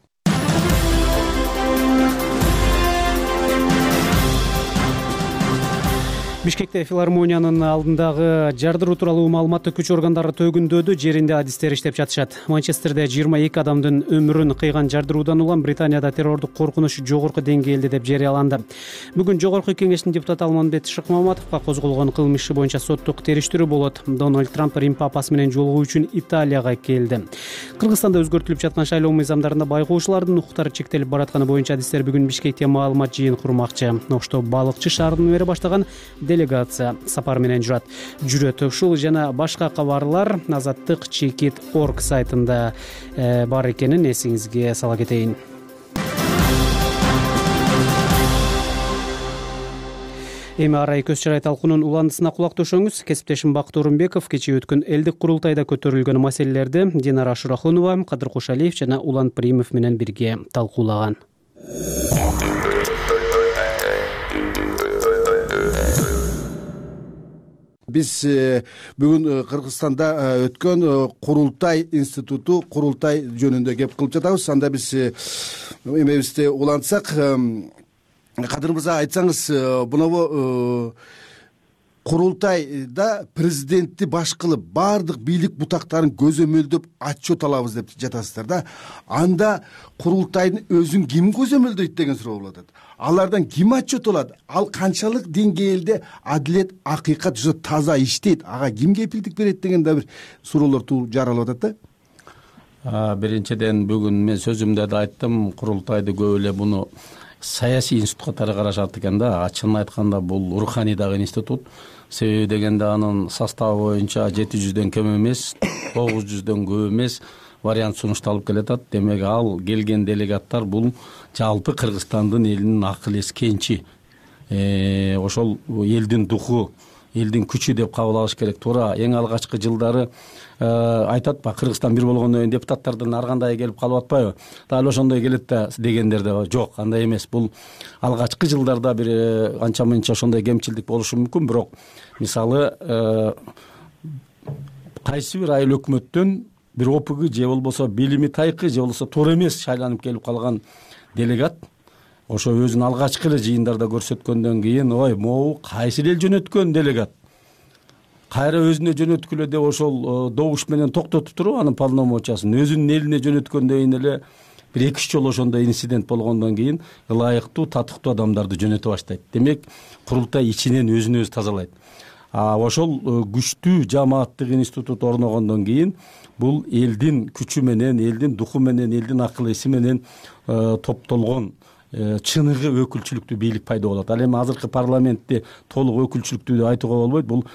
Бишкекте филармониянын алдындагы жардыруу тууралуу маалыматты күч органдары төгүндөдү. Жеринде адистер иштеп жатышат. Манчестерде жыйырма эки адамдын өмүрүн кыйган жардыруудан улам Британияда террордук коркунуч жогорку деңгээлде деп жарыяланды. Бүгүн жогорку кеңештин депутаты Алмамбет Шыкмаматовго козголгон кылмыш иши боюнча соттук териштирүү болот. Дональд Трамп Рим папасы менен жолугуу үчүн Италияга келди. Кыргызстанда өзгөртүлүп жаткан шайлоо мыйзамдарында байкоочулардын укуктары чектелип баратканы боюнча адистер бүгүн Бишкекте маалымат жыйын курмакчы. Ошто балыкчы шаарынан бери баштаган делегация сапар менен жүрөт. Жүрөт. Ушул жана башка кабарлар Азаттык Чекит орг сайтында бар экенин эсиңизге сала кетейин. Эми арай көз чарай талкуунун уландысына кулак төшөңүз. Кесиптешим Бакыт Орунбеков кечээ өткөн элдик курултайда көтөрүлгөн маселелерди Динара Шурахунова, Кадыр Кошалиев жана Улан Примов менен бирге талкуулаган. Биз бүгүн Кыргызстанда өткөн курултай институту курултай жөнүндө кеп кылып жатабыз. Анда биз эмебизди улантсак, Кадыр мырза, айтсаңыз, мынабу курултайда президентти баш кылып баардык бийлик бутактарын көзөмөлдөп отчет алабыз деп жатасыздар да. Анда курултайдын өзүн ким көзөмөлдөйт деген суроо болот. Алардан ким отчет алат? Ал канчалык деңгээлде адилет, акыйкат жүзө таза иштейт? Ага ким кепилдик берет деген да бир суроолор жаралып атат да. Биринчиден, бүгүн мен сөзүмдө да айттым, курултайды көп эле буну саясий институт катары карашат экен да. Чынын айтканда бул руханий дагы институт. Себеби дегенде анын составы боюнча жети жүздөн кем эмес, тогуз жүздөн көп эмес вариант сунушталып келатат. Демек, ал келген делегаттар бул жалпы Кыргызстандын элинин акыл эс кенчи. Ошол элдин духу, элдин күчү деп кабыл алыш керек. Туура эң алгачкы жылдары айтат ба, Кыргызстан бир болгондон кийин депутаттардан ар кандай келип калып атпайбы? Дал ошондой келет да дегендер да жок, андай эмес. Бул алгачкы жылдарда бир анча мынча ошондой кемчилдик болушу мүмкүн, бирок мисалы кайсы бир айыл өкмөттөн бир опугу же болбосо билими тайкы же болбосо туура эмес шайланып келип калган делегат ошо өзүн алгачкы эле жыйындарда көрсөткөндөн кийин, ой, могу кайсы эл жөнөткөн делегат, кайра өзүнө жөнөткүлө деп ошол добуш менен токтотуп туруп анын полномочиясын өзүнүн элине жөнөткөндөн кийин эле бир эки үч жолу ошондой инцидент болгондон кийин ылайыктуу, татыктуу адамдарды жөнөтө баштайт. Демек, курултай ичинен өзүн өзү тазалайт. А ошол күчтүү жамааттык институт орногондон кийин бул элдин күчү менен, элдин духу менен, элдин акыл эси менен топтолгон чыныгы өкүлчүлүктүү бийлик пайда болот. Ал эми азыркы парламентти толук өкүлчүлүктүү деп айтууга болбойт. Бул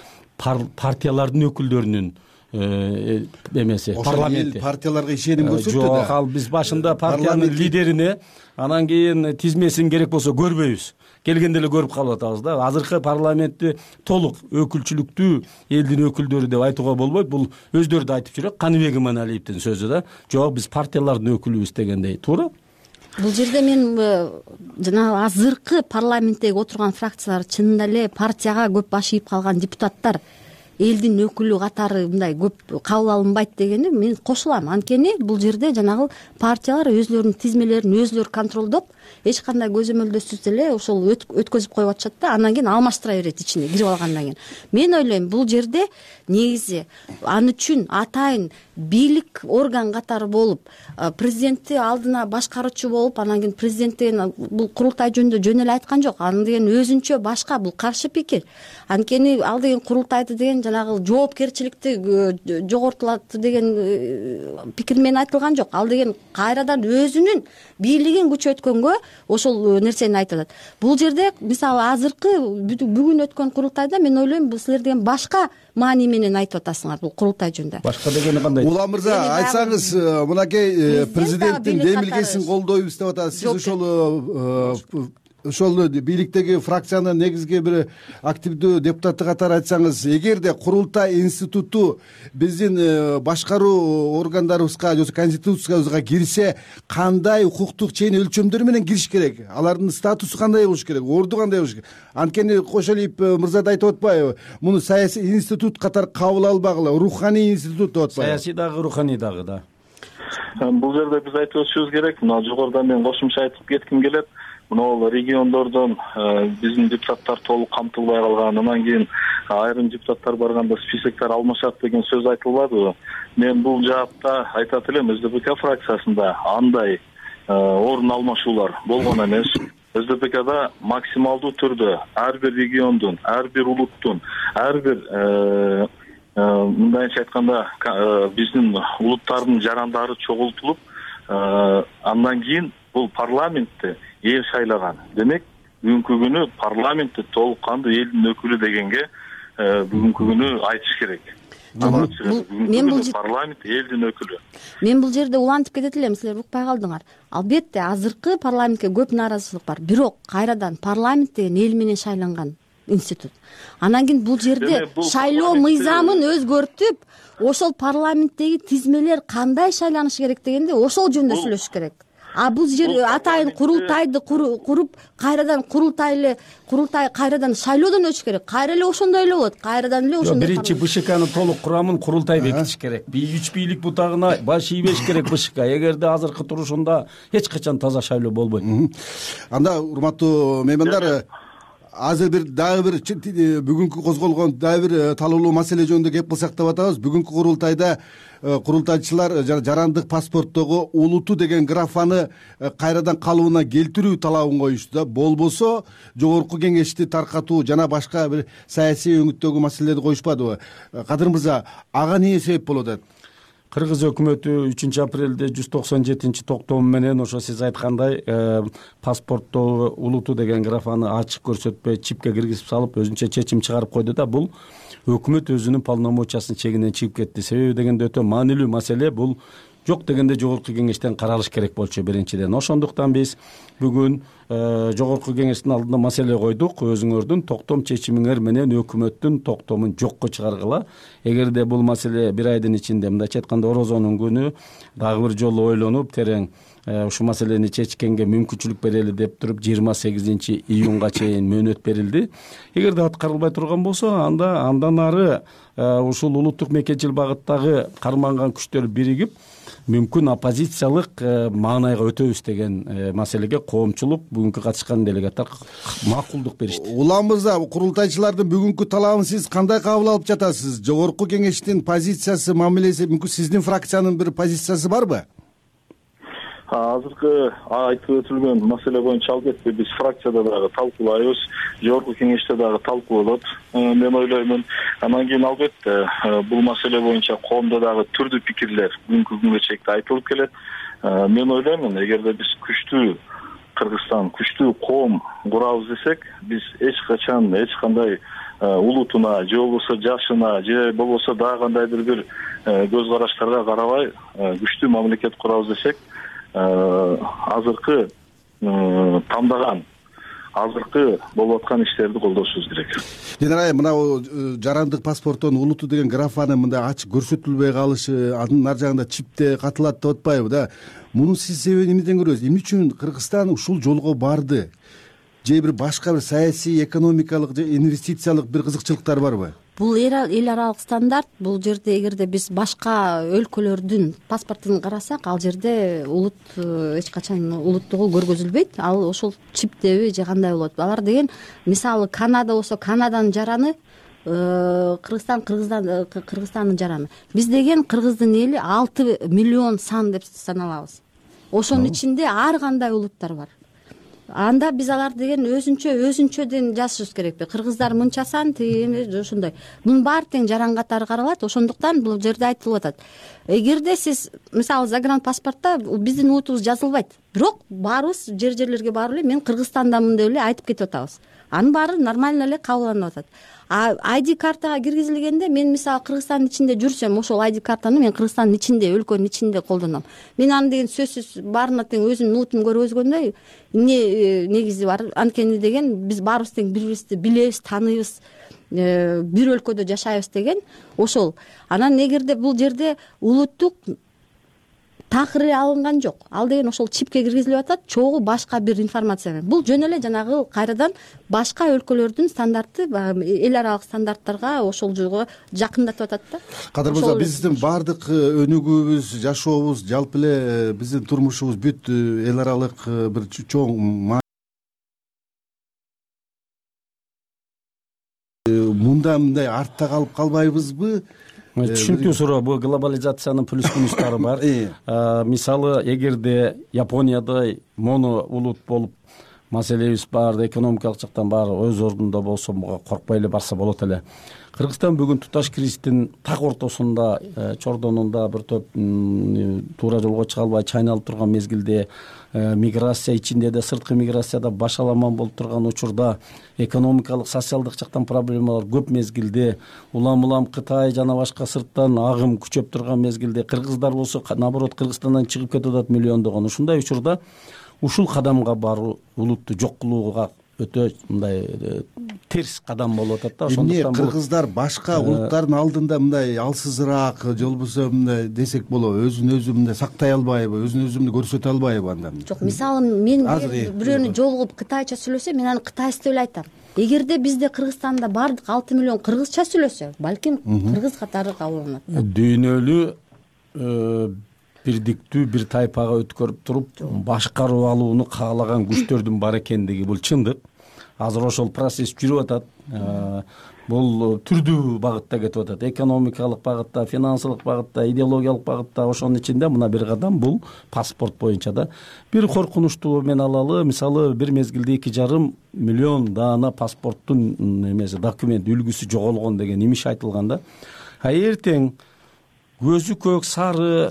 партиялардын өкүлдөрүнүн эмеси, парламент партияларга ишеним көрсөттү да. Жок, ал биз башында партиянын лидерине, анан кийин тизмесин керек болсо көрбөйбүз. Келгенде эле көрүп калып атабыз да. Азыркы парламентти толук өкүлчүлүктүү элдин өкүлдөрү деп айтууга болбойт. Бул өздөрү да айтып жүрөт. Каныбек Иманалиевдин сөзү да. Жок, биз партиялардын өкүлүбүз дегендей. Туура. Бул жерде мен жана азыркы парламенттеги отурган фракциялар чынында эле партияга көп баш ийип калган депутаттар элдин өкүлү катары мындай көп кабыл алынбайт дегени мен кошулам. Анткени бул жерде жанагы партиялар өзлөрүнүн тизмелерин өзлөрү контролдоп, эч кандай көзөмөлдөсүз эле ошол өткөзүп коюп атышат да. Андан кийин алмаштыра берет ичине кирип алгандан кийин. Мен ойлойм, бул жерде негизи ал үчүн атайын бийлик орган катары болуп, президентти алдына башкаруучу болуп, анан кийин президент деген бул курултай жөнүндө жөн эле айткан жок. Аны деген өзүнчө башка, бул каршы пикир. Анткени ал деген курултайды деген жанагы жоопкерчиликти жогортулат деген пикир менен айтылган жок. Ал деген кайрадан өзүнүн бийлигин күчөткөнгө ошол нерсени айтылат. Бул жерде мисалы азыркы бүгүн өткөн курултайда мен ойлойм, бул силер деген башка маани менен айтып атасыңар бул курултай жөнүндө. Башка дегени кандай? Улан мырза, айтсаңыз, мынакей президенттин демилгесин колдойбуз деп атасыз. Сиз ошол ошол бийликтеги фракциянын негизги бир активдүү депутаты катары айтсаңыз, эгерде курултай институту биздин башкаруу органдарыбызга же конституциябызга кирсе, кандай укуктук чейин өлчөмдөр менен кириш керек? Алардын статусу кандай болуш керек? Орду кандай болуш керек? Анткени Кошалиев мырза да айтып атпайбы? Муну саясий институт катары кабыл албагыла, руханий институт деп атпайбы? Саясий дагы, руханий дагы да. Бул жерде биз айтып өтүшүбүз керек. Мына жогоруда мен кошумча айтып кетким келет. мынабул региондордон биздин депутаттар толук камтылбай калган, анан кийин айрым депутаттар барганда списоктор алмашат деген сөз айтылбадыбы? Мен бул жаапта айтат элем, эс ди пи ка фракциясында андай орун алмашуулар болгон эмес. эс ди пи када максималдуу түрдө ар бир региондун, ар бир улуттун, ар бир мындайча айтканда биздин улуттардын жарандары чогултулуп, андан кийин бул парламентте эл шайлаган. Демек, бүгүнкү күнү парламентте толук кандуу элдин өкүлү дегенге бүгүнкү күнү айтыш керек. Мен бул парламент элдин өкүлү. Мен бул жерде улантып кетет элем, силер укпай калдыңар. Албетте, азыркы парламентке көп нааразычылык бар. Бирок кайрадан парламент деген эл менен шайланган институт. Анан кийин бул жерде шайлоо мыйзамын өзгөртүп, ошол парламенттеги тизмелер кандай шайланышы керек дегенде ошол жөнүндө сүйлөшүш керек. А бул жер атайын курултайды куруп, кайрадан курултай курултай кайрадан шайлоодон өтүш керек. Кайра эле ошондой эле болот. Кайрадан эле ошондой. Биринчи бэ шэ канын толук курамын курултай бекитиш керек. Үч бийлик бутагына баш ийбеш керек бэ шэ ка. Эгерде азыркы турушунда эч качан таза шайлоо болбойт. Анда урматтуу меймандар, азыр бир дагы бир бүгүнкү козголгон дагы бир талоолуу маселе жөнүндө кеп кылсак деп атабыз. Бүгүнкү курултайда курултайчылар жарандык паспорттогу улуту деген графаны кайрадан калыбына келтирүү талабын коюшту да. Болбосо жогорку кеңешти таркатуу жана башка бир саясий өңүттөгү маселелерди коюшпадыбы? Кадыр мырза, ага эмне себеп болуп атат? Кыргыз өкмөтү үчүнчү апрелде жүз токсон жетинчи токтому менен ошо сиз айткандай паспорттогу улуту деген графаны ачык көрсөтпөй чипке киргизип салып өзүнчө чечим чыгарып койду да. Бул өкмөт өзүнүн полномочиясынын чегинен чыгып кетти. Себеби дегенде өтө маанилүү маселе. Бул жок дегенде жогорку кеңештен каралыш керек болчу биринчиден. Ошондуктан биз бүгүн жогорку кеңештин алдына маселе койдук. Өзүңөрдүн токтом чечимиңер менен өкмөттүн токтомун жокко чыгаргыла. Эгерде бул маселе бир айдын ичинде, мындайча айтканда орозонун күнү дагы бир жолу ойлонуп терең ушул маселени чечкенге мүмкүнчүлүк берели деп туруп жыйырма сегизинчи июнга чейин мөөнөт берилди. Эгерде аткарылбай турган болсо, анда андан ары ушул улуттук мекенчил багыттагы карманган күчтөр биригип мүмкүн оппозициялык маанайга өтөбүз деген маселеге коомчулук бүгүнкү катышкан делегаттар макулдук беришти. Улам мырза, курултайчылардын бүгүнкү талабын сиз кандай кабыл алып жатасыз? Жогорку кеңештин позициясы, мамилеси, мүмкүн сиздин фракциянын бир позициясы барбы? Азыркы айтып өтүлгөн маселе боюнча албетте биз фракцияда дагы талкуулайбыз, жогорку кеңеште дагы талкууланат. Мен ойлоймун. Анан кийин албетте бул маселе боюнча коомдо дагы түрдүү пикирлер бүгүнкү күнгө чейин айтылып келет. Мен ойлоймун, эгерде биз күчтүү Кыргызстан, күчтүү коом курабыз десек, биз эч качан эч кандай улутуна, же болбосо жашына, же болбосо дагы кандайдыр бир көз караштарга карабай күчтүү мамлекет курабыз десек, азыркы тандаган азыркы болуп аткан иштерди колдошубуз керек. Жана мына жарандык паспорттон улуту деген графаны мындай ачык көрсөтүлбөй калышы, анын ар жагында чипте катылат деп атпайбы да? Мунун сиз себебин эмнеден көрөсүз? Эмне үчүн Кыргызстан ушул жолго барды? Же бир башка бир саясий, экономикалык же инвестициялык бир кызыкчылыктар барбы? Бул эл аралык стандарт. Бул жерде эгерде биз башка өлкөлөрдүн паспортун карасак, ал жерде улут эч качан улуттугу көргөзүлбөйт. Ал ошол чиптеби же кандай болот? Алар деген мисалы Канада болсо Канаданын жараны, Кыргызстан Кыргызстан Кыргызстандын жараны. Биз деген Кыргыздын эли алты миллион сан деп саналабыз. Ошонун ичинде ар кандай улуттар бар. Анда биз алар деген өзүнчө өзүнчөдөн жашашыбыз керекпи? Кыргыздар мынча сан, тиги ошондой. Мунун баары тең жаран катары каралат. Ошондуктан бул жерде айтылып атат. Эгерде сиз мисалы загранпаспортто биздин улутубуз жазылбайт, бирок баарыбыз жер-жерлерге барып эле мен Кыргызстандамын деп эле айтып кетип атабыз. Анын баары нормально эле кабылданып атат. А ай ди картага киргизилгенде мен мисалы Кыргызстандын ичинде жүрсөм, ошол ай ди картаны мен Кыргызстандын ичинде, өлкөнүн ичинде колдоном. Мен аны деген сөзсүз баарына тең өзүмдүн улутум көргөзгөндөй эмне негизи бар? Анткени деген биз баарыбыз тең бири-бирибизди билебиз, тааныйбыз, бир өлкөдө жашайбыз деген ошол. Анан эгерде бул жерде улуттук такыр алынган жок. Ал деген ошол чипке киргизилип атат, чогуу башка бир информация менен. Бул жөн эле жанагы кайрадан башка өлкөлөрдүн стандарты, эл аралык стандарттарга ошол жолго жакындатып атат да. Кадыр мырза, биздин баардык өнүгүүбүз, жашообуз, жалпы эле биздин турмушубуз бүт эл аралык бир чоң мында мындай артта калып калбайбызбы? Түшүнүктүү суроо. Бул глобализациянын плюс минустары бар. Мисалы, эгерде Япониядай моно улут болуп маселебиз бар, экономикалык жактан баары өз ордунда болсо, буга коркпой эле барса болот эле. Кыргызстан бүгүн туташ кризистин так ортосунда, чордонунда бир топ туура жолго чыга албай чайналып турган мезгилде, миграция ичинде да, сырткы миграцияда башаламан болуп турган учурда, экономикалык, социалдык жактан проблемалар көп мезгилде, улам улам Кытай жана башка сырттан агым күчөп турган мезгилде, кыргыздар болсо наоборот Кыргызстандан чыгып кетип атат миллиондогон. Ушундай учурда ушул кадамга баруу улутту жок кылууга өтө мындай терс кадам болуп атат да. Ошондуктан кыргыздар башка улуттардын алдында мындай алсызыраак, же болбосо мындай десек болобу, өзүн өзү мындай сактай албайбы, өзүн өзү көрсөтө албайбы анда? Жок, мисалы мен бирөөнү жолугуп кытайча сүйлөсөм, мен аны кытайский деп эле айтам. Эгерде бизде Кыргызстанда бардык алты миллион кыргызча сүйлөсө, балким кыргыз катары кабыл алынат. Дүйнөлүү бирдиктүү бир тайпага өткөрүп туруп башкарып алууну каалаган күчтөрдүн бар экендиги бул чындык. Азыр ошол процесс жүрүп атат. Бул түрдүү багытта кетип атат. Экономикалык багытта, финансылык багытта, идеологиялык багытта. Ошонун ичинде мына бир кадам бул паспорт боюнча да. Бир коркунучтуу мен алалы, мисалы бир мезгилде эки жарым миллион даана паспорттун эмеси, документ үлгүсү жоголгон деген имиш айтылган да. А эртең көзү көк, сары,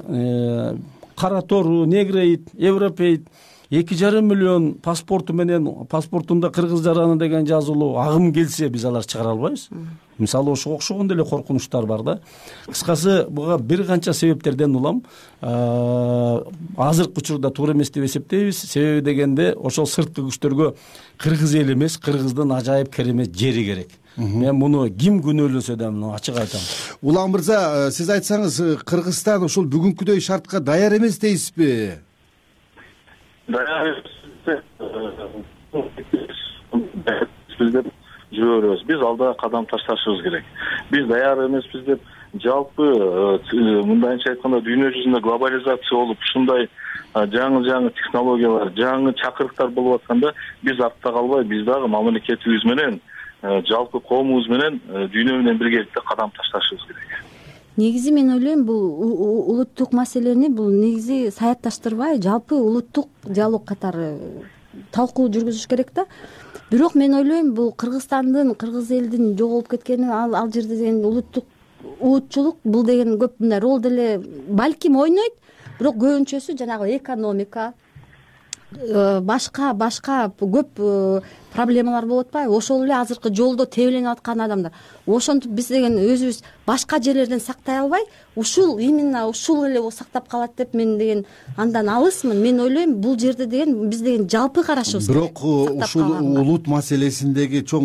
кара тору, негроид, европеид эки жарым миллион паспорту менен паспортунда кыргыз жараны деген жазылуу агым келсе, биз алар чыгара албайбыз. Мисалы ошого окшогон деле коркунучтар бар да. Кыскасы буга бир канча себептерден улам. Азыркы учурда туура эмес деп эсептейбиз. Себеби дегенде ошол сырткы күчтөргө кыргыз эл эмес, кыргыздын ажайып керемет жери керек. Мен муну ким күнөөлөсө да муну ачык айтам. Улан мырза, сиз айтсаңыз, Кыргызстан ушул бүгүнкүдөй шартка даяр эмес дейсизби? Даяр деп жүрөбүз. Биз алда кадам ташташыбыз керек. Биз даяр эмеспиз деп жалпы мындайча айтканда дүйнө жүзүндө глобализация болуп, ушундай жаңы-жаңы технологиялар, жаңы чакырыктар болуп атканда, биз артта калбай, биз дагы мамлекетибиз менен, жалпы коомубуз менен, дүйнө менен биргеликте кадам ташташыбыз керек. Негизи мен ойлойм, бул улуттук маселени бул негизи саятташтырбай, жалпы улуттук диалог катары талкуу жүргүзүш керек да. Бирок мен ойлойм, бул Кыргызстандын, кыргыз элдин жоголуп кеткени, ал ал жерде деген улуттук уутчулук бул деген көп мындай роль деле балким ойнойт, бирок көбүнчөсү жанагы экономика, башка башка көп проблемалар болуп атпайбы? Ошол эле азыркы жолдо тебеленип аткан адамдар. Ошентип биз деген өзүбүз башка жерлерден сактай албай, ушул именно ушул эле сактап калат деп мен деген андан алысмын. Мен ойлойм, бул жерде деген биз деген жалпы карашыбыз керек. Бирок ушул улут маселесиндеги чоң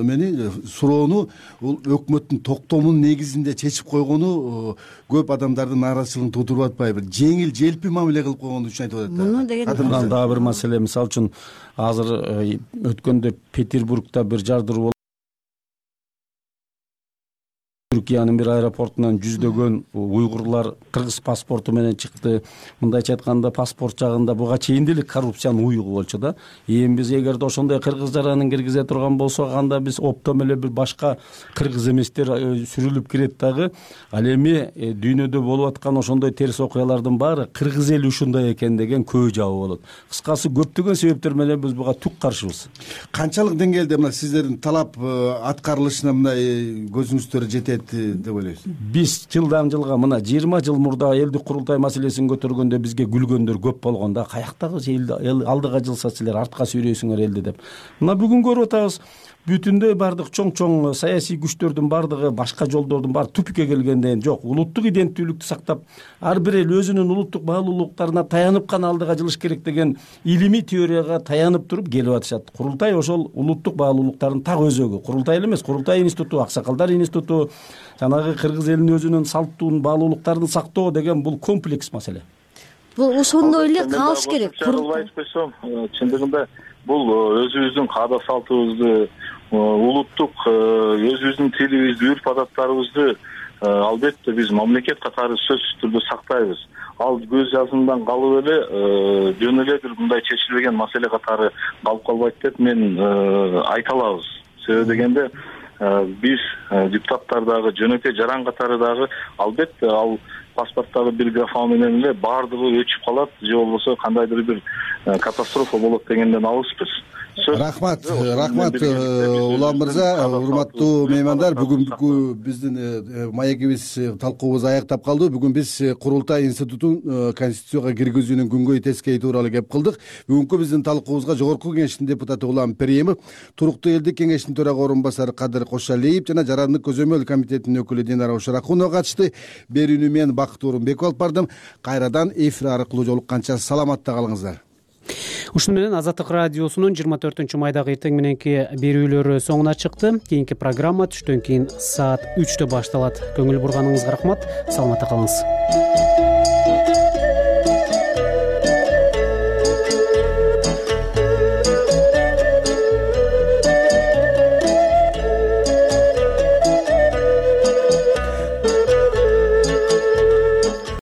эмени, суроону бул өкмөттүн токтомунун негизинде чечип койгону көп адамдардын нааразычылыгын туудуруп атпайбы? Жеңил, желпи мамиле кылып койгон үчүн айтып атат. Муну деген дагы бир маселе, мисалы үчүн азыр өткөндө Петербургда бир жардыр болуп, Түркиянын бир аэропортунан жүздөгөн уйгурлар кыргыз паспорту менен чыкты. Мындайча айтканда, паспорт жагында буга чейин деле коррупциянын уюгу болчу да. Эми биз эгерде ошондой кыргыз жаранын киргизе турган болсок, анда биз оптом эле бир башка кыргыз эместер сүрүлүп кирет дагы. Ал эми дүйнөдө болуп аткан ошондой терс окуялардын баары кыргыз эли ушундай экен деген көй жабы болот. Кыскасы, көптөгөн себептер менен биз буга түк каршыбыз. Канчалык деңгээлде мына сиздердин талап аткарылышына мындай көзүңүздөр жетет деп ойлойсуз? Биз жылдан жылга мына жыйырма жыл мурда элдик курултай маселесин көтөргөндө бизге күлгөндөр көп болгон да. Каяктагы эл алдыга жылса силер артка сүйрөйсүңөр элди деп. Мына бүгүн көрүп атабыз, бүтүндөй бардык чоң-чоң саясий күчтөрдүн бардыгы, башка жолдордун баары түпкүгө келгенден жок. Улуттук иденттүүлүктү сактап, ар бир эл өзүнүн улуттук баалуулуктарына таянып гана алдыга жылыш керек деген илимий теорияга таянып туруп келип атышат. Курултай ошол улуттук баалуулуктардын так өзөгү. Курултай эле эмес, Курултай институту, Аксакалдар институту, жанагы кыргыз элинин өзүнүн салттуу баалуулуктарын сактоо деген бул комплекс маселе. Бул ошондой эле калыш керек. Айтып койсом, чындыгында бул өзүбүздүн каада салтыбызды, улуттук өзүбүздүн тилибизди, үрп адаттарыбызды албетте биз мамлекет катары сөзсүз түрдө сактайбыз. Ал көз жазымдан калып эле жөн эле бир мындай чечилбеген маселе катары калып калбайт деп мен айта алабыз. Себеби дегенде биз депутаттар дагы жөнөкөй жаран катары дагы албетте ал паспорттагы бир графа менен эле баардыгы өчүп калат же болбосо кандайдыр бир катастрофа болот дегенден алыспыз. Рахмат, рахмат Улан мырза, урматтуу меймандар. Бүгүнкү биздин маегибиз, талкуубуз аяктап калды. Бүгүн биз Курултай институтун Конституцияга киргизүүнүн күнгөй тескейи тууралуу кеп кылдык. Бүгүнкү биздин талкуубузга Жогорку Кеңештин депутаты Улан Периемов, Туруктуу элдик кеңештин төрага орун басары Кадыр Кошалиев жана Жарандык көзөмөл комитетинин өкүлү Динара Ушаракунова катышты. Берүүнү мен Бакыт Орунбеков алып бардым. Кайрадан эфир аркылуу жолукканча саламатта калыңыздар. Ушуну менен Азаттык радиосунун жыйырма төртүнчү майдагы эртең мененки берүүлөрү соңуна чыкты. Кийинки программа түштөн кийин саат үчтө башталат. Көңүл бурганыңызга рахмат. Саламатта калыңыз.